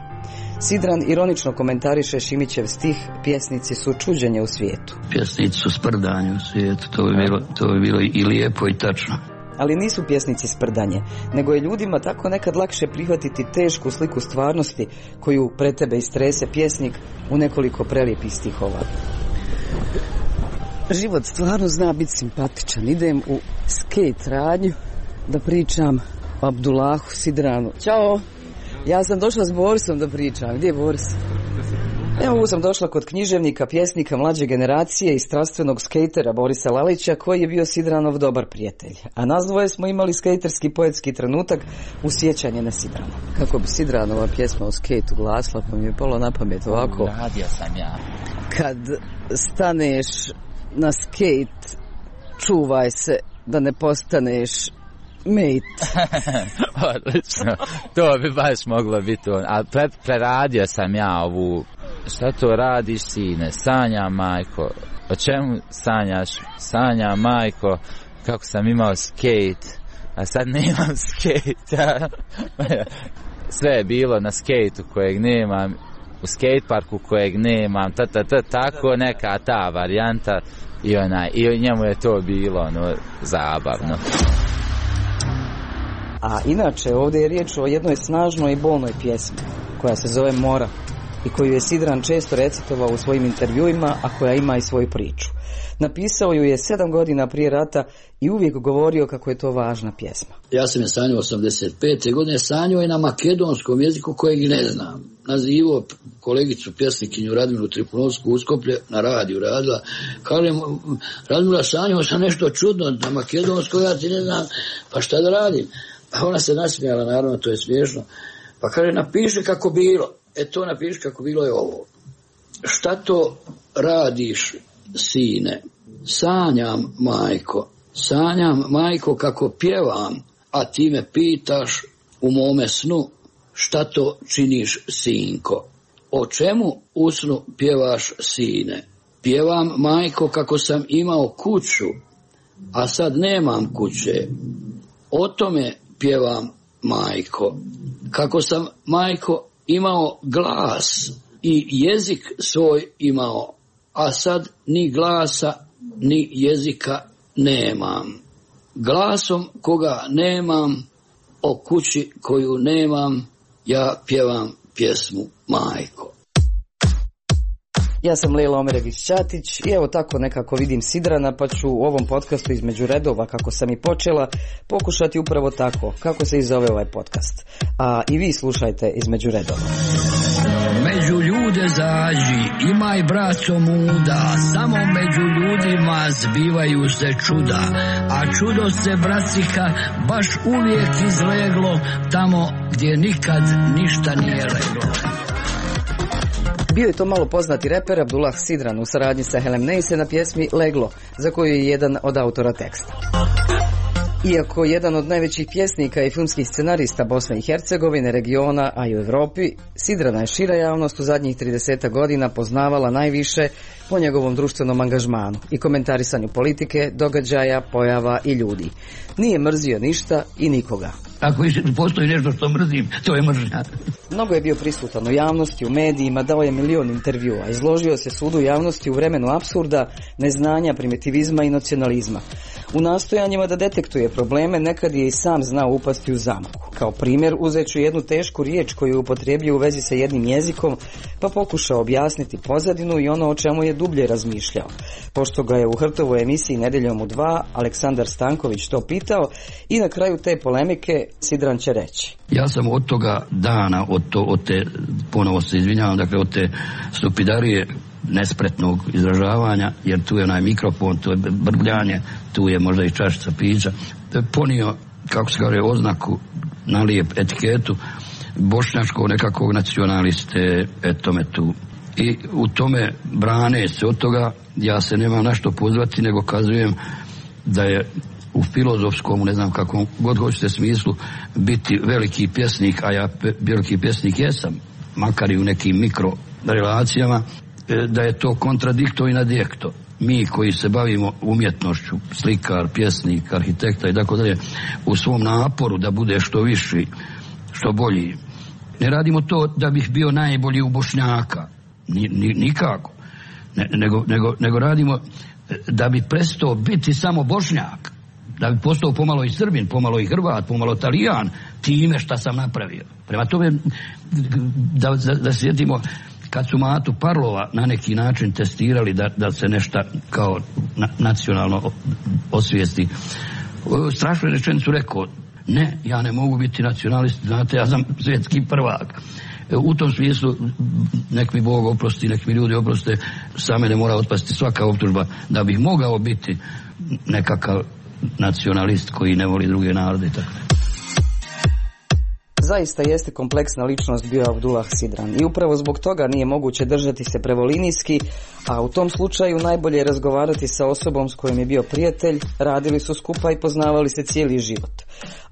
Sidran ironično komentariše Šimićev stih, pjesnici su čuđenje u svijetu. Pjesnici su sprdanje u svijetu, to bi bilo, to bi bilo i lijepo i tačno. Ali nisu pjesnici sprdanje, nego je ljudima tako nekad lakše prihvatiti tešku sliku stvarnosti koju pred tebe istrese pjesnik u nekoliko prelijepih stihova. Život stvarno zna biti simpatičan. Idem u skate radnju da pričam o Abdullahu Sidranu. Ćao! Ja sam došla s Borisom da pričam. Gdje je Boris? Evo, sam došla kod književnika, pjesnika mlađe generacije i strastvenog skejtera Borisa Lalića, koji je bio Sidranov dobar prijatelj. A nas dvoje smo imali skejterski poetski trenutak u sjećanje na Sidrana. Kako bi Sidranova pjesma o skejtu glasila, pa mi je palo na pamet ovako. Radio sam ja. Kad staneš na skejt, čuvaj se da ne postaneš mate. Odlično. To bi baš moglo biti on. Ali pre, preradio sam ja ovu. Šta to radiš, sine? Sanja, majko. O čemu sanjaš? Sanja, majko. Kako sam imao skejt, a sad nemam skejt. Sve je bilo na skejtu kojeg nemam, u skateparku kojeg nemam, ta, ta, ta, tako neka ta varijanta. I, onaj, i njemu je to bilo ono, zabavno. A inače, ovdje je riječ o jednoj snažnoj i bolnoj pjesmi, koja se zove Mora, i koju je Sidran često recitovao u svojim intervjuima, a koja ima i svoju priču. Napisao ju je sedam godina prije rata i uvijek govorio kako je to važna pjesma. Ja sam je sanjao osamdeset pete godine, sanjao je na makedonskom jeziku kojeg ne znam. Nazivao kolegicu pjesnikinju Radmilu Tripunovsku Uskoplje, na radiju radila. Kažem, Radmila, sanjao sam nešto čudno na makedonskom, ja ti ne znam, pa šta da radim? Pa ona se nasmijala, naravno, to je smiješno. Pa kaže, napiši kako bilo. E to napiši kako bilo je ovo. Šta to radiš, sine? Sanjam, majko, Sanjam, majko, kako pjevam, a ti me pitaš u mome snu šta to činiš, sinko. O čemu u snu pjevaš, sine? Pjevam, majko, kako sam imao kuću, a sad nemam kuće. O tome pjevam, majko. Kako sam, majko, imao glas i jezik svoj imao, a sad ni glasa ni jezika nemam. Glasom koga nemam, o kući koju nemam, ja pjevam pjesmu, majko. Ja sam Lejla Omerević-Ćatić i evo tako nekako vidim Sidrana, pa ću u ovom podcastu između redova, kako sam i počela, pokušati upravo tako, kako se i zove ovaj podcast. A i vi slušajte između redova. Među ljude zađi, imaj braco muda, samo među ljudima zbivaju se čuda, a čudo se, bracika, baš uvijek izleglo tamo gdje nikad ništa nije leglo. Bio je to malo poznati reper Abdullah Sidran u saradnji sa Helem Neise na pjesmi Leglo, za koju je jedan od autora teksta. Iako jedan od najvećih pjesnika i filmskih scenarista Bosne i Hercegovine, regiona, a i u Evropi, Sidrana je šira javnost u zadnjih trideset godina poznavala najviše po njegovom društvenom angažmanu i komentarisanju politike, događaja, pojava i ljudi. Nije mrzio ništa i nikoga. Ako postoji nešto što mrzim, to je mržnja. Mnogo je bio prisutan u javnosti, u medijima, dao je milion intervjua, izložio se sudu javnosti u vremenu apsurda, neznanja, primitivizma i nacionalizma. U nastojanjima da detektuje probleme, nekad je i sam znao upasti u zamku. Kao primjer, uzet ću jednu tešku riječ koju je upotrijebio u vezi sa jednim jezikom, pa pokušao objasniti pozadinu i ono o čemu je dublje razmišljao. Pošto ga je u Hrtovoj emisiji Nedeljom u dva Aleksandar Stanković to pitao i na kraju te polemike Sidran će reći. Ja sam od toga dana, od, to, od te, ponovo se izvinjavam, dakle od te stupidarije nespretnog izražavanja, jer tu je onaj mikrofon, tu je brbljanje, tu je možda i čašica pića, ponio, kako se kaže, oznaku na lijep etiketu bošnjačkog nekakvog nacionaliste, etome tu. I u tome brane se od toga, ja se nemam na što pozvati, nego kazujem da je u filozofskom, ne znam kakvom god hoćete smislu, biti veliki pjesnik, a ja pe, veliki pjesnik jesam, makar i u nekim mikro relacijama, da je to kontradikto i nadjekto. Mi koji se bavimo umjetnošću, slikar, pjesnik, arhitekta i tako dalje, u svom naporu da bude što viši, što bolji, ne radimo to da bih bio najbolji u Bošnjaka, ni, ni, nikako, ne, nego, nego, nego radimo da bi prestao biti samo Bošnjak, da bi postao pomalo i Srbin, pomalo i Hrvat, pomalo Talijan, time šta sam napravio. Prema tome, da, da, da sjetimo, kad su Matu Parlova na neki način testirali da, da se nešto kao na, nacionalno osvijesti, strašno je rečenicu rekao, ne, ja ne mogu biti nacionalist, znate, ja sam svjetski prvak. U tom smislu, nek mi Bog oprosti, nek mi ljudi oproste, sa mene mora otpasti svaka optužba da bih mogao biti nekakav nacionalist koji ne voli druge narode i tako. Zaista jeste kompleksna ličnost bio Abdullah Sidran i upravo zbog toga nije moguće držati se prevolinijski, a u tom slučaju najbolje je razgovarati sa osobom s kojom je bio prijatelj, radili su skupa i poznavali se cijeli život.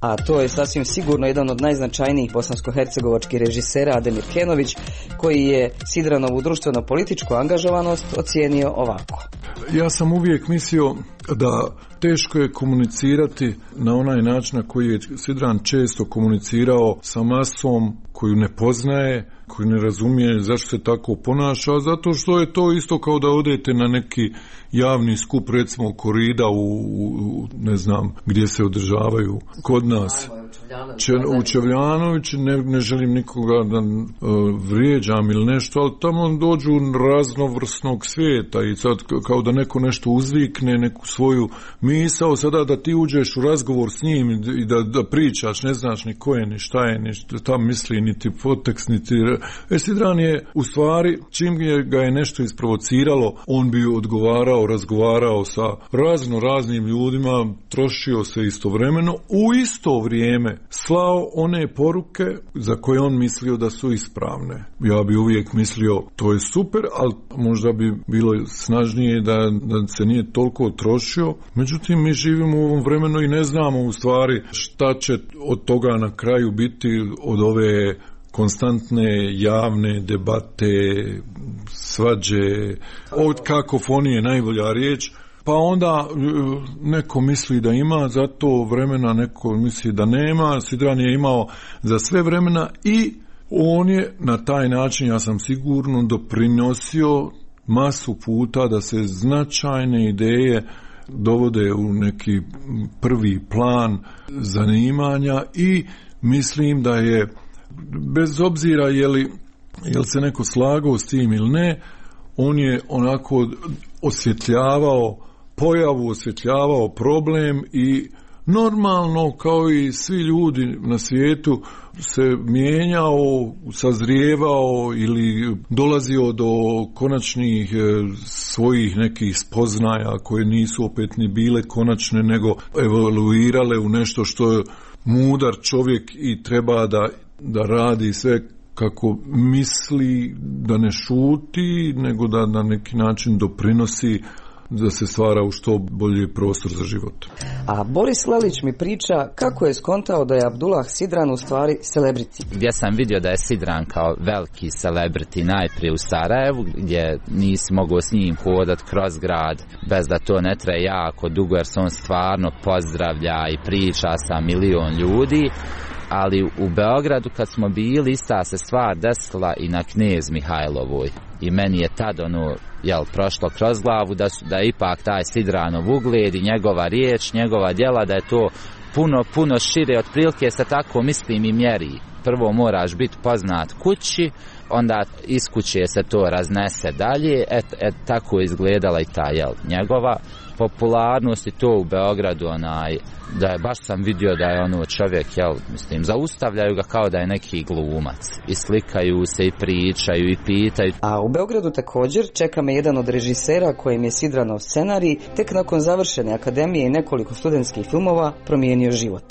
A to je sasvim sigurno jedan od najznačajnijih bosansko-hercegovačkih režisera Ademir Kenović, koji je Sidranovu društveno-političku angažovanost ocijenio ovako. Ja sam uvijek mislio da teško je komunicirati na onaj način na koji je Sidran često komunicirao sa masom koju ne poznaje, koju ne razumije zašto se tako ponaša, zato što je to isto kao da odete na neki javni skup, recimo korida u, u ne znam gdje se održavaju kod nas. Če, u Čevljanović, ne, ne želim nikoga da uh, vrijeđam ili nešto, ali tamo dođu raznovrsnog svijeta i sad kao da neko nešto uzvikne, neku svoju misao, sada da ti uđeš u razgovor s njim i da, da pričaš, ne znaš ni ko je, ni šta je, ni šta tam misli, niti podtekst, niti... E, Sidran je, u stvari, čim je, ga je nešto isprovociralo, on bi odgovarao, razgovarao sa razno raznim ljudima, trošio se istovremeno, u isto vrijeme vrijeme slao one poruke za koje on mislio da su ispravne. Ja bi uvijek mislio to je super, ali možda bi bilo snažnije da, da se nije toliko trošio. Međutim, mi živimo u ovom vremenu i ne znamo u stvari šta će od toga na kraju biti, od ove konstantne javne debate, svađe, od kakofonije najbolja riječ. Pa onda neko misli da ima za to vremena, neko misli da nema. Sidran je imao za sve vremena i on je na taj način, ja sam sigurno, doprinosio masu puta da se značajne ideje dovode u neki prvi plan zanimanja i mislim da je, bez obzira je li, je li se neko slagao s tim ili ne, on je onako osvjetljavao pojavu, osvjetljavao problem i normalno kao i svi ljudi na svijetu se mijenjao, sazrijevao ili dolazio do konačnih svojih nekih spoznaja koje nisu opet ni bile konačne nego evoluirale u nešto što je mudar čovjek i treba da, da radi sve kako misli, da ne šuti, nego da na neki način doprinosi da se stvara u što bolji prostor za život. A Boris Lelić mi priča kako je skontao da je Abdullah Sidran u stvari celebrity. Gdje sam vidio da je Sidran kao veliki celebrity najprije u Sarajevu, gdje nisi mogao s njim hodat kroz grad bez da to ne traje jako dugo, jer se on stvarno pozdravlja i priča sa milion ljudi. Ali u Beogradu kad smo bili, ista se stvar desila i na Knez Mihajlovoj. I meni je tad ono, jel, prošlo kroz glavu da, su, da je ipak taj Sidranov ugled i njegova riječ, njegova djela, da je to puno, puno šire, otprilike se tako mislim i mjeri. Prvo moraš biti poznat kući, onda iz kuće se to raznese dalje, et, et, tako je izgledala i ta, jel, njegova popularnost i to u Beogradu, onaj, da je, baš sam vidio da je ono čovjek, jel, mislim, zaustavljaju ga kao da je neki glumac i slikaju se i pričaju i pitaju. A u Beogradu također čeka me jedan od režisera kojem je Sidranov scenarij tek nakon završene akademije i nekoliko studentskih filmova promijenio život.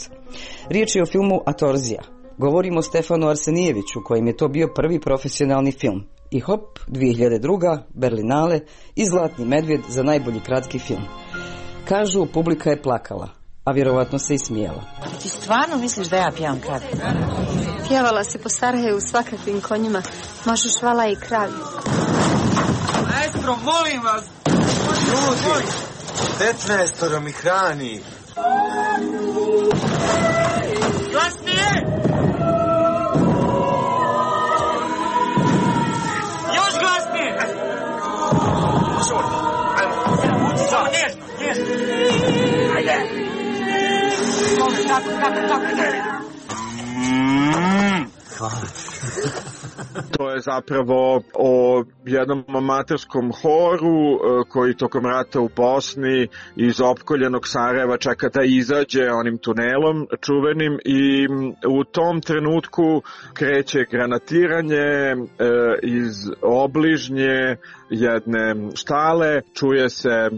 Riječ je o filmu Atorzija. Govorimo o Stefanu Arsenijeviću kojem je to bio prvi profesionalni film. I hop, dvije hiljade druga. Berlinale i Zlatni medvjed za najbolji kratki film. Kažu, publika je plakala, a vjerovatno se i smijela. Ti stvarno misliš da ja pjevam kratki? Pjevala se po Sarajevu svakakvim konjima, možeš vala i kravi. Maestro, molim vas! Ljudi, petnaestoro mi hrani. Glasnije! Još glasnije! Samo nježno, nježno. Ajde! Tako, tako, tako, hvala. To je zapravo o jednom amaterskom horu koji tokom rata u Bosni iz opkoljenog Sarajeva čeka da izađe onim tunelom čuvenim i u tom trenutku kreće granatiranje iz obližnje jedne štale, čuje se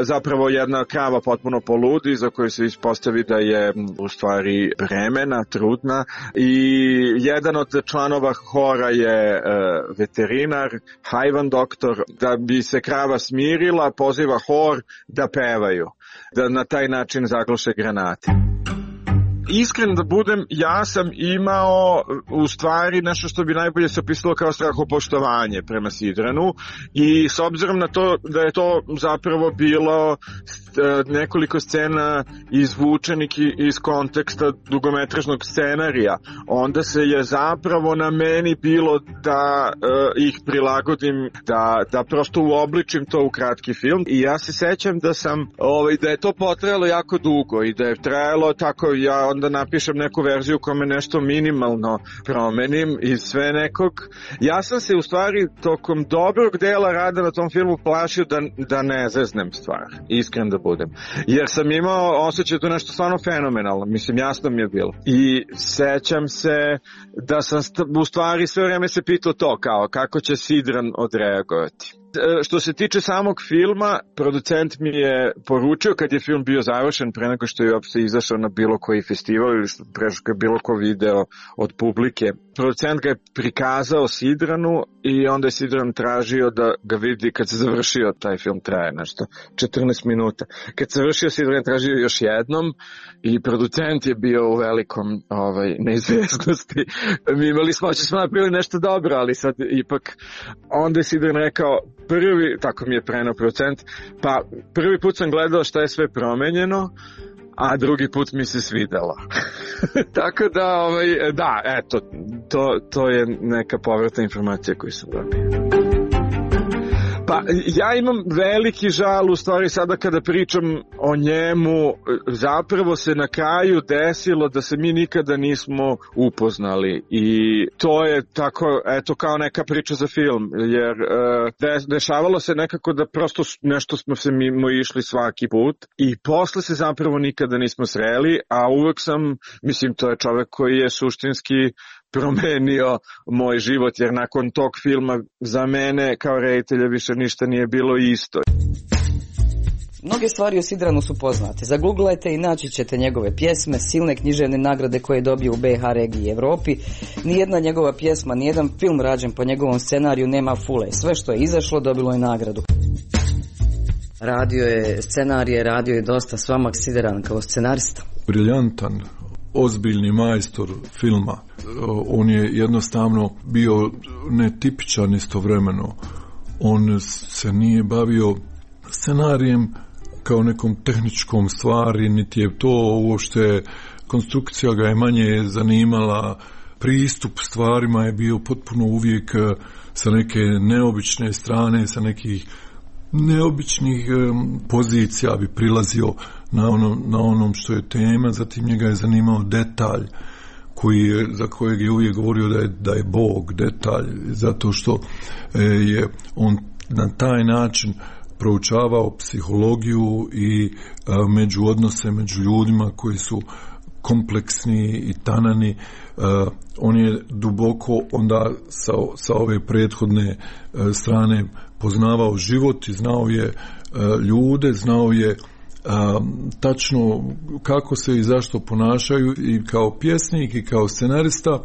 zapravo jedna krava potpuno poludi za koju se ispostavi da je u stvari bremena, trudna i jedan od članova hora je veterinar, hajvan doktor, da bi se krava smirila, poziva hor da pevaju, da na taj način zagluše granate. Iskren da budem, ja sam imao u stvari nešto što bi najbolje se opisalo kao strahopoštovanje prema Sidranu i s obzirom na to da je to zapravo bilo nekoliko scena izvučenih iz konteksta dugometražnog scenarija, onda se je zapravo na meni bilo da uh, ih prilagodim, da, da prosto uobličim to u kratki film i ja se sećam da sam, ovaj, da je to potrajalo jako dugo i da je trajalo tako, ja onda napišem neku verziju kome nešto minimalno promenim iz sve nekog. Ja sam se u stvari tokom dobrog dela rada na tom filmu plašio da, da ne zeznem stvar, iskren da budem. Jer sam imao osjećaj da nešto stvarno fenomenalno, mislim jasno mi je bilo. I sećam se da sam u stvari sve vreme se pitao to kao kako će Sidran odreagovati. Što se tiče samog filma, producent mi je poručio kad je film bio završen pre nego što je uopšte izašao na bilo koji festival festivali ili prešao je bilo ko video od publike. Producent ga je prikazao Sidranu i onda je Sidran tražio da ga vidi kad se završio, taj film traje nešto četrnaest minuta. Kad se završio, Sidran je tražio još jednom i producent je bio u velikom ovaj, neizvjesnosti. Mi imali smo, će smo napravili nešto dobro, ali sad ipak onda je Sidran rekao, prvi, tako mi je prenao producent, pa prvi put sam gledao šta je sve promenjeno, a drugi put mi se svidelo. Tako da, ovaj, da, eto, to, to je neka povratna informacija koju sam dobio. Pa ja imam veliki žal u stvari sada kada pričam o njemu, zapravo se na kraju desilo da se mi nikada nismo upoznali i to je tako, eto, kao neka priča za film, jer de, dešavalo se nekako da prosto nešto smo se mimo išli svaki put i posle se zapravo nikada nismo sreli, a uvek sam, mislim, to je čovek koji je suštinski promenio moj život, jer nakon tog filma za mene kao reditelja više ništa nije bilo isto. Mnoge stvari o Sidranu su poznate. Zaguglajte i naći ćete njegove pjesme, silne književne nagrade koje je dobio u be ha regiji i Evropi. Nijedna njegova pjesma, nijedan film rađen po njegovom scenariju nema fule. Sve što je izašlo dobilo je nagradu. Radio je scenarije, radio je dosta. S vama Sidran kao scenarista. Briljantan, ozbiljni majstor filma. On je jednostavno bio netipičan istovremeno. On se nije bavio scenarijem kao nekom tehničkom stvari, niti je to uopšte, konstrukcija ga je manje zanimala, pristup stvarima je bio potpuno uvijek sa neke neobične strane, sa nekih neobičnih pozicija bi prilazio na onom, na onom što je tema. Zatim njega je zanimao detalj koji je, za kojeg je uvijek govorio da je, da je Bog detalj, zato što je on na taj način proučavao psihologiju i a, među odnose među ljudima koji su kompleksni i tanani. A, on je duboko onda sa, sa ove prethodne a, strane poznavao život i znao je a, ljude, znao je a, tačno kako se i zašto ponašaju, i kao pjesnik i kao scenarista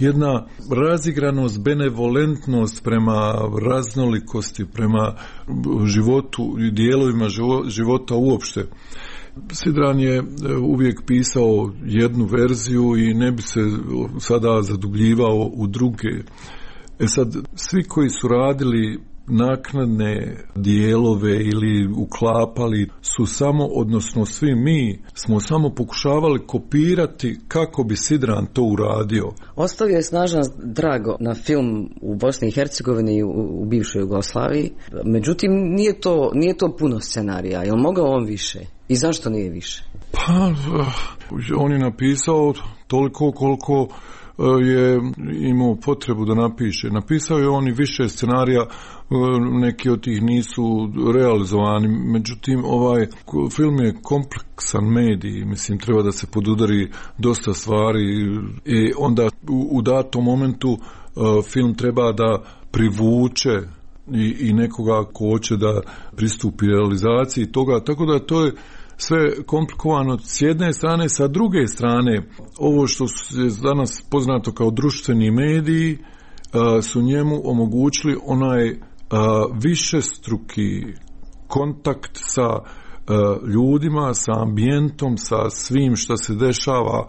jedna razigranost, benevolentnost prema raznolikosti, prema životu i dijelovima života uopšte. Sidran je uvijek pisao jednu verziju i ne bi se sada zadubljivao u druge. E sad, svi koji su radili naknadne dijelove ili uklapali su samo, odnosno svi mi smo samo pokušavali kopirati kako bi Sidran to uradio. Ostavio je snažan drago na film u Bosni i Hercegovini i u, u bivšoj Jugoslaviji. Međutim, nije to, nije to puno scenarija. Je li mogao on više? I zašto nije više? Pa, on je napisao toliko koliko je imao potrebu da napiše. Napisao je on i više scenarija, neki od tih nisu realizovani, međutim ovaj film je kompleksan medij, mislim treba da se podudari dosta stvari i onda u, u datom momentu uh, film treba da privuče i, i nekoga ko hoće da pristupi realizaciji toga, tako da to je sve komplikovano s jedne strane, sa druge strane ovo što je danas poznato kao društveni mediji a, su njemu omogućili onaj a, višestruki kontakt sa a, ljudima, sa ambijentom, sa svim što se dešava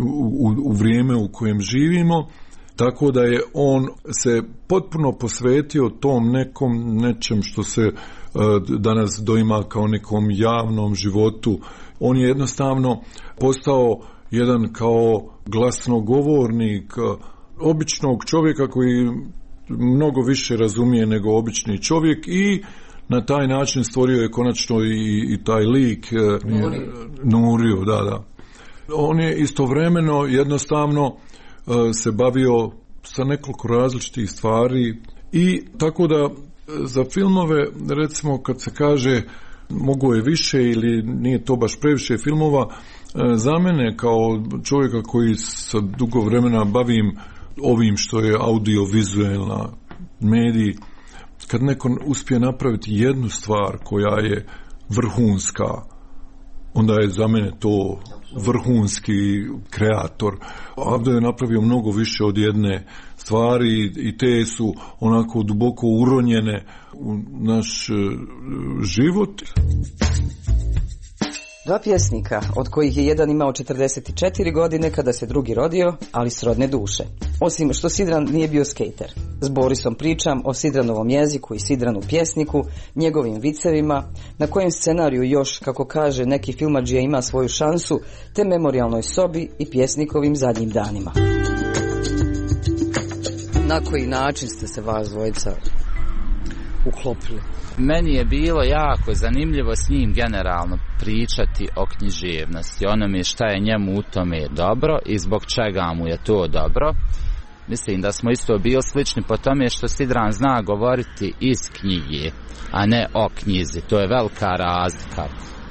u, u, u vrijeme u kojem živimo, tako da je on se potpuno posvetio tom nekom nečem što se danas doima kao nekom javnom životu. On je jednostavno postao jedan kao glasnogovornik običnog čovjeka koji mnogo više razumije nego obični čovjek i na taj način stvorio je konačno i, i taj lik Nuriju. Nuriju, da, da. On je istovremeno jednostavno se bavio sa nekoliko različitih stvari i tako da za filmove, recimo kad se kaže mogo je više ili nije to baš previše filmova, za mene kao čovjeka koji sa dugo vremena bavim ovim što je audiovizualna medij, kad neko uspije napraviti jednu stvar koja je vrhunska, onda je za mene to vrhunski kreator. Avdo je napravio mnogo više od jedne stvari i te su onako duboko uronjene u naš život. Dva pjesnika, od kojih je jedan imao četrdeset četiri godine kada se drugi rodio, ali srodne duše. Osim što Sidran nije bio skejter. S Borisom pričam o Sidranovom jeziku i Sidranu pjesniku, njegovim vicevima, na kojem scenariju još, kako kaže neki filmadžija, ima svoju šansu, te memorijalnoj sobi i pjesnikovim zadnjim danima. Na koji način ste se vas dvojica uklopili? Meni je bilo jako zanimljivo s njim generalno pričati o književnosti, onome šta je njemu u tome dobro i zbog čega mu je to dobro. Mislim da smo isto bili slični po tome što Sidran zna govoriti iz knjige, a ne o knjizi. To je velika razlika.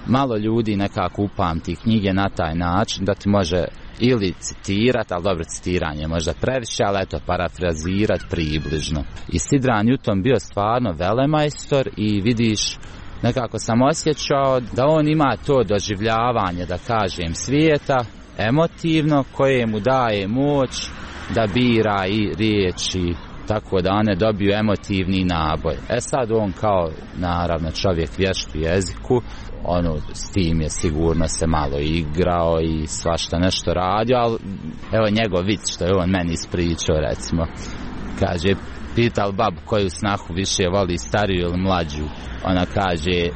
Malo ljudi nekako upamti knjige na taj način da ti može ili citirati, ali dobro, citiranje možda previše, ali eto, parafrazirati približno. I Sidran je u tom bio stvarno velemajstor i vidiš, nekako sam osjećao da on ima to doživljavanje, da kažem, svijeta, emotivno, koje mu daje moć da bira i riječi, tako da one dobiju emotivni naboj. E sad on kao, naravno, čovjek vješt u jeziku, ono, s tim je sigurno se malo igrao i svašta nešto radio, ali evo njegov vic što je on meni ispričao, recimo, kaže, pital babu koju snahu više voli, stariju ili mlađu. Ona kaže,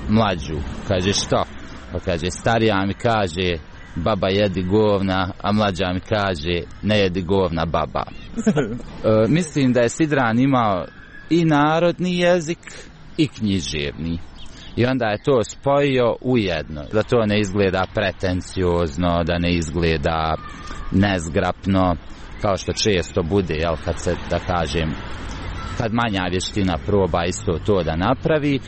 mlađu. Kaže, što? Pa kaže, starija mi kaže, baba jedi govna, a mlađa mi kaže, ne jedi govna baba. e, mislim da je Sidran imao i narodni jezik i književni. I onda je to spojio u jedno. Da to ne izgleda pretenciozno, da ne izgleda nezgrapno, kao što često bude, jel, kad se, da kažem, kad manja vještina proba isto to da napravi.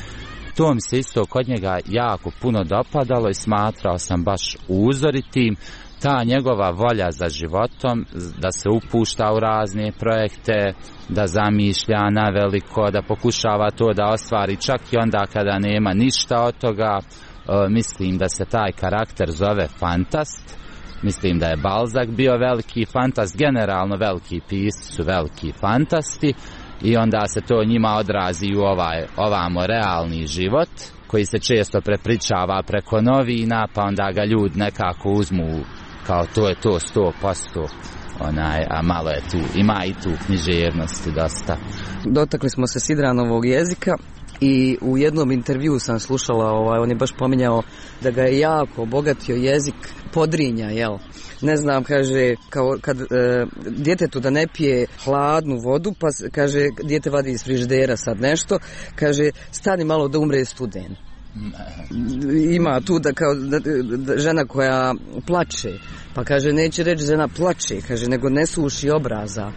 To mi se isto kod njega jako puno dopadalo i smatrao sam baš uzoritim. Ta njegova volja za životom, da se upušta u razne projekte, da zamišlja na veliko, da pokušava to da ostvari čak i onda kada nema ništa od toga. E, mislim da se taj karakter zove fantast. Mislim da je Balzac bio veliki fantast, generalno veliki pisci su veliki fantasti i onda se to njima odrazi u ovaj, ovamo realni život koji se često prepričava preko novina, pa onda ga ljudi nekako uzmu kao to je to sto posto, onaj, a malo je tu, ima i tu književnosti dosta. Dotakli smo se Sidranovog jezika i u jednom intervju sam slušala, ovaj, on je baš pominjao da ga je jako obogatio jezik Podrinja, jel? Ne znam, kaže, kao kad e, djetetu da ne pije hladnu vodu, pa kaže, dijete vadi iz frižidera sad nešto, kaže, stani malo da umre studen. Ima tu da kao da, da, žena koja plače, pa kaže, neće reći žena plače, kaže, nego ne suši obraza.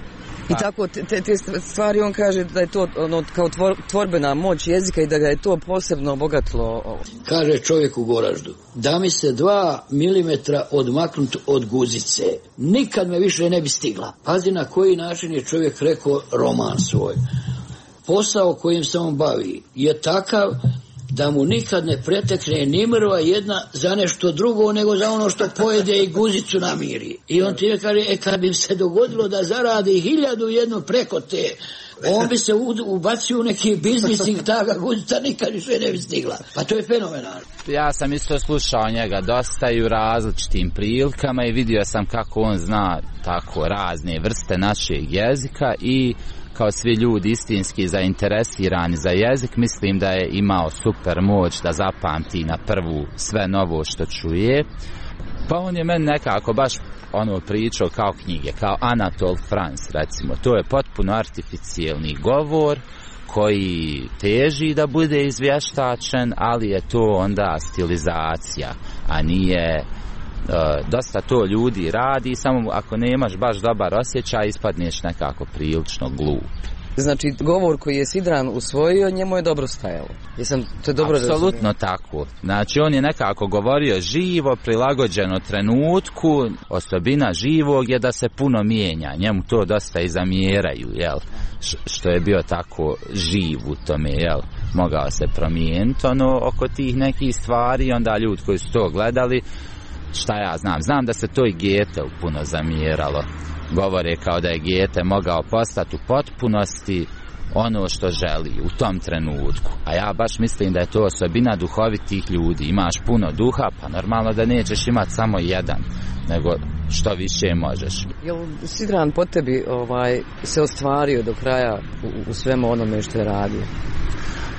I tako te, te stvari on kaže da je to ono, kao tvor, tvorbena moć jezika i da ga je to posebno obogatilo. Kaže čovjek u Goraždu, da mi se dva milimetra odmaknut od guzice, nikad me više ne bi stigla. Pazi na koji način je čovjek rekao roman svoj. Posao kojim se on bavi je takav da mu nikad ne pretekne ni mrva jedna za nešto drugo nego za ono što pojede i guzicu namiri. I on ti je kaže, e kad bi se dogodilo da zaradi hiljadu jednu preko te, on bi se ubacio u neki biznis i ta guzica nikad više ne bi stigla. Pa to je fenomenalno. Ja sam isto slušao njega dosta i u različitim prilikama i vidio sam kako on zna tako razne vrste našeg jezika i kao svi ljudi istinski zainteresirani za jezik, mislim da je imao super moć da zapamti na prvu sve novo što čuje. Pa on je meni nekako baš ono pričao kao knjige, kao Anatole France, recimo. To je potpuno artificijelni govor koji teži da bude izvještačen, ali je to onda stilizacija, a nije... Uh, dosta to ljudi radi, samo ako nemaš baš dobar osjećaj ispadneš nekako prilično glup. Znači govor koji je Sidran usvojio, njemu je dobro stajalo. Jesam to je dobro razumio? Apsolutno tako. Znači on je nekako govorio živo, prilagođeno trenutku. Osobina živog je da se puno mijenja. Njemu to dosta i zamjeraju, jel? Š- što je bio tako živ u tome, jel? mogao se promijeniti ono oko tih nekih stvari, onda ljudi koji su to gledali, šta ja znam, znam da se to i Goetheu puno zamjeralo, govore kao da je Goethe mogao postati u potpunosti ono što želi u tom trenutku, a ja baš mislim da je to osobina duhovitih ljudi, imaš puno duha, pa normalno da nećeš imati samo jedan, nego što više možeš. Jel Sidran po tebi ovaj, se ostvario do kraja u, u svemu onome što je radio?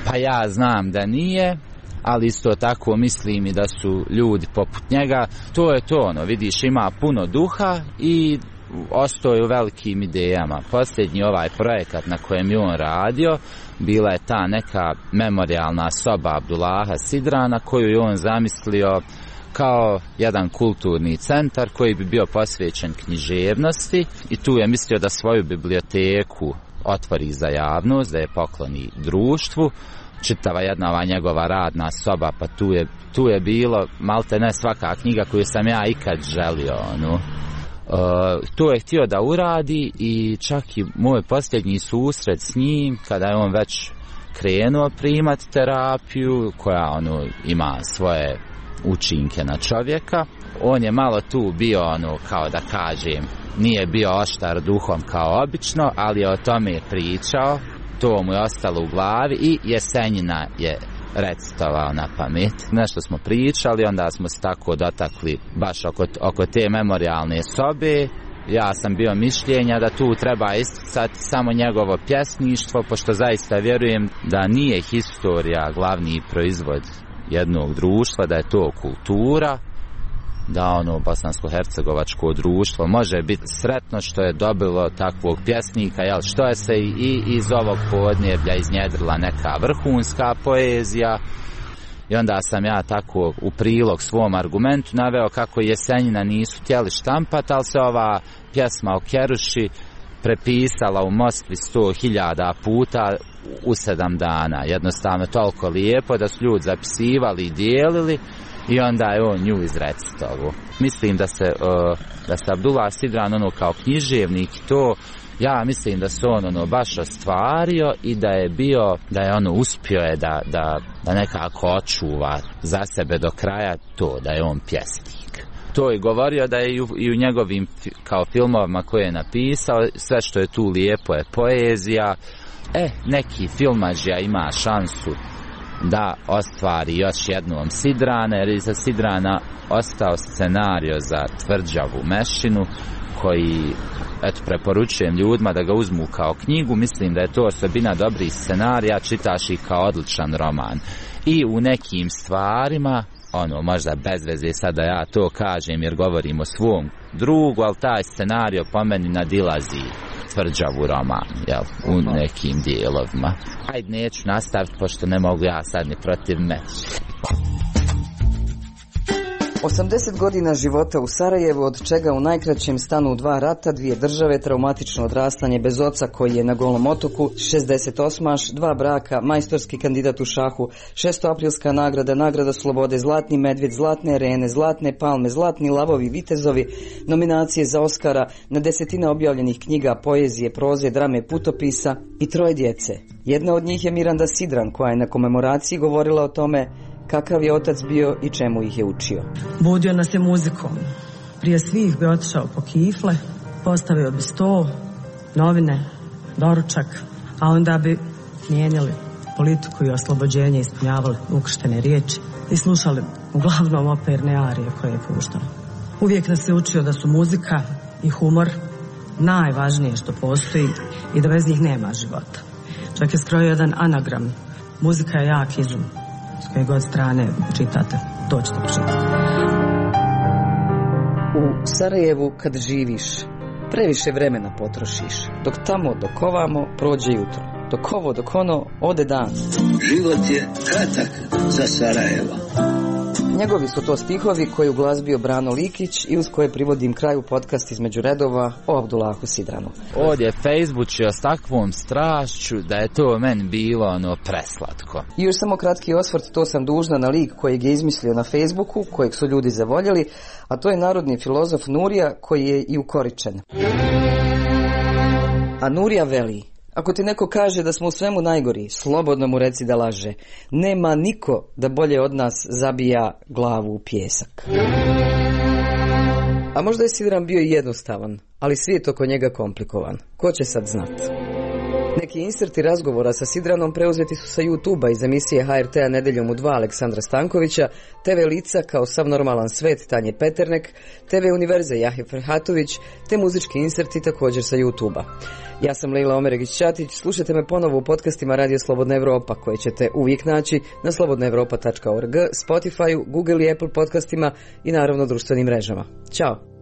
Pa ja znam da nije, ali isto tako mislim i da su ljudi poput njega, to je to ono, vidiš, ima puno duha i ostao je u velikim idejama. Posljednji ovaj projekat na kojem je on radio bila je ta neka memorijalna soba Abdullaha Sidrana koju je on zamislio kao jedan kulturni centar koji bi bio posvećen književnosti i tu je mislio da svoju biblioteku otvori za javnost, da je pokloni društvu. Čitava jedna ova njegova radna soba, pa tu je, tu je bilo malte ne svaka knjiga koju sam ja ikad želio, ono. Uh, to je htio da uradi i čak i moj posljednji susret s njim kada je on već krenuo primati terapiju koja ono ima svoje učinke na čovjeka, on je malo tu bio ono kao da kažem nije bio oštar duhom kao obično, ali je o tome pričao, to mu je ostalo u glavi i Jesenjina je recitovao na pamet. Nešto smo pričali, onda smo se tako dotakli baš oko, oko te memorijalne sobe. Ja sam bio mišljenja da tu treba isticati samo njegovo pjesništvo, pošto zaista vjerujem da nije historija glavni proizvod jednog društva, da je to kultura, da ono bosansko-hercegovačko društvo može biti sretno što je dobilo takvog pjesnika, jel, što je se i iz ovog podneblja iznjedrila neka vrhunska poezija. I onda sam ja tako u prilog svom argumentu naveo kako Jesenjina nisu htjeli štampat, ali se ova pjesma o Keruši prepisala u Moskvi sto hiljada puta u sedam dana. Jednostavno toliko lijepo da su ljudi zapisivali i dijelili i onda je on nju izrecitovo. Mislim da se, uh, da se Abdullah Sidran ono kao književnik to, ja mislim da se on ono baš ostvario i da je bio, da je ono uspio je da, da, da nekako očuva za sebe do kraja to, da je on pjesnik. To je govorio da je i u, i u njegovim kao filmovima koje je napisao, sve što je tu lijepo je poezija. E, neki filmađija ima šansu da ostvari još jednom Sidrana, jer iza Sidrana ostao scenario za Tvrđavu Mešinu, koji, eto, preporučujem ljudima da ga uzmu kao knjigu. Mislim da je to osobina dobrih scenarija, čitaš ih kao odličan roman. I u nekim stvarima, ono, možda bez veze sada ja to kažem jer govorim o svom drugu, ali taj scenario po meni nadilazi Tvrđavu roman, jel, u nekim dijelovima. Ajde, neću nastaviti, pošto ne mogu ja sad ni protiv me. osamdeset godina života u Sarajevu, od čega u najkraćem stanu dva rata, dvije države, traumatično odrastanje bez oca koji je na Golom otoku, šezdeset osmaš, dva braka, majstorski kandidat u šahu, šestoaprilska nagrada, nagrada slobode, zlatni medvjed, zlatne arene, zlatne palme, zlatni lavovi, vitezovi, nominacije za Oskara, na desetine objavljenih knjiga, poezije, proze, drame, putopisa i troje djece. Jedna od njih je Miranda Sidran, koja je na komemoraciji govorila o tome kakav je otac bio i čemu ih je učio. Budio nas je muzikom. Prije svih bi otišao po kifle, postavio bi sto, novine, doručak, a onda bi mijenjali politiku i oslobođenje, ispunjavali ukrštene riječi i slušali uglavnom operne arije koje je puštao. Uvijek nas je učio da su muzika i humor najvažnije što postoji i da bez njih nema života. Čak je skrojio jedan anagram. Muzika je jak izum. S koje god strane čitate, to ćete pročitati. U Sarajevu kad živiš, previše vremena potrošiš. Dok tamo, dok ovamo, prođe jutro. Dok ovo, dok ono, ode dan. Život je kratak za Sarajevo. Njegovi su to stihovi koji uglazbio Brano Likić i uz koje privodim kraju podcast Između redova o Abdullahu Sidranu. Ovdje je Facebookio s takvom strašću da je to meni bilo ono preslatko. I još samo kratki osvrt, to sam dužna na lik kojeg je izmislio na Facebooku, kojeg su ljudi zavoljeli, a to je narodni filozof Nurija koji je i ukoričen. A Nurija veli: Ako ti neko kaže da smo u svemu najgori, slobodno mu reci da laže. Nema niko da bolje od nas zabija glavu u pijesak. A možda je Sidran bio jednostavan, ali svijet oko njega komplikovan. Ko će sad znat? Neki inserti razgovora sa Sidranom preuzeti su sa YouTube-a iz emisije H R T-a Nedeljom u dva Aleksandra Stankovića, T V Lica kao Sav normalan svet Tanje Peternek, T V Univerze Jahje Ferhatović, te muzički inserti također sa YouTube-a. Ja sam Lejla Omeregić-Ćatić, slušajte me ponovo u podcastima Radio Slobodna Evropa, koje ćete uvijek naći na slobodna evropa tačka org, Spotify-u, Google i Apple podcastima i naravno društvenim mrežama. Ćao!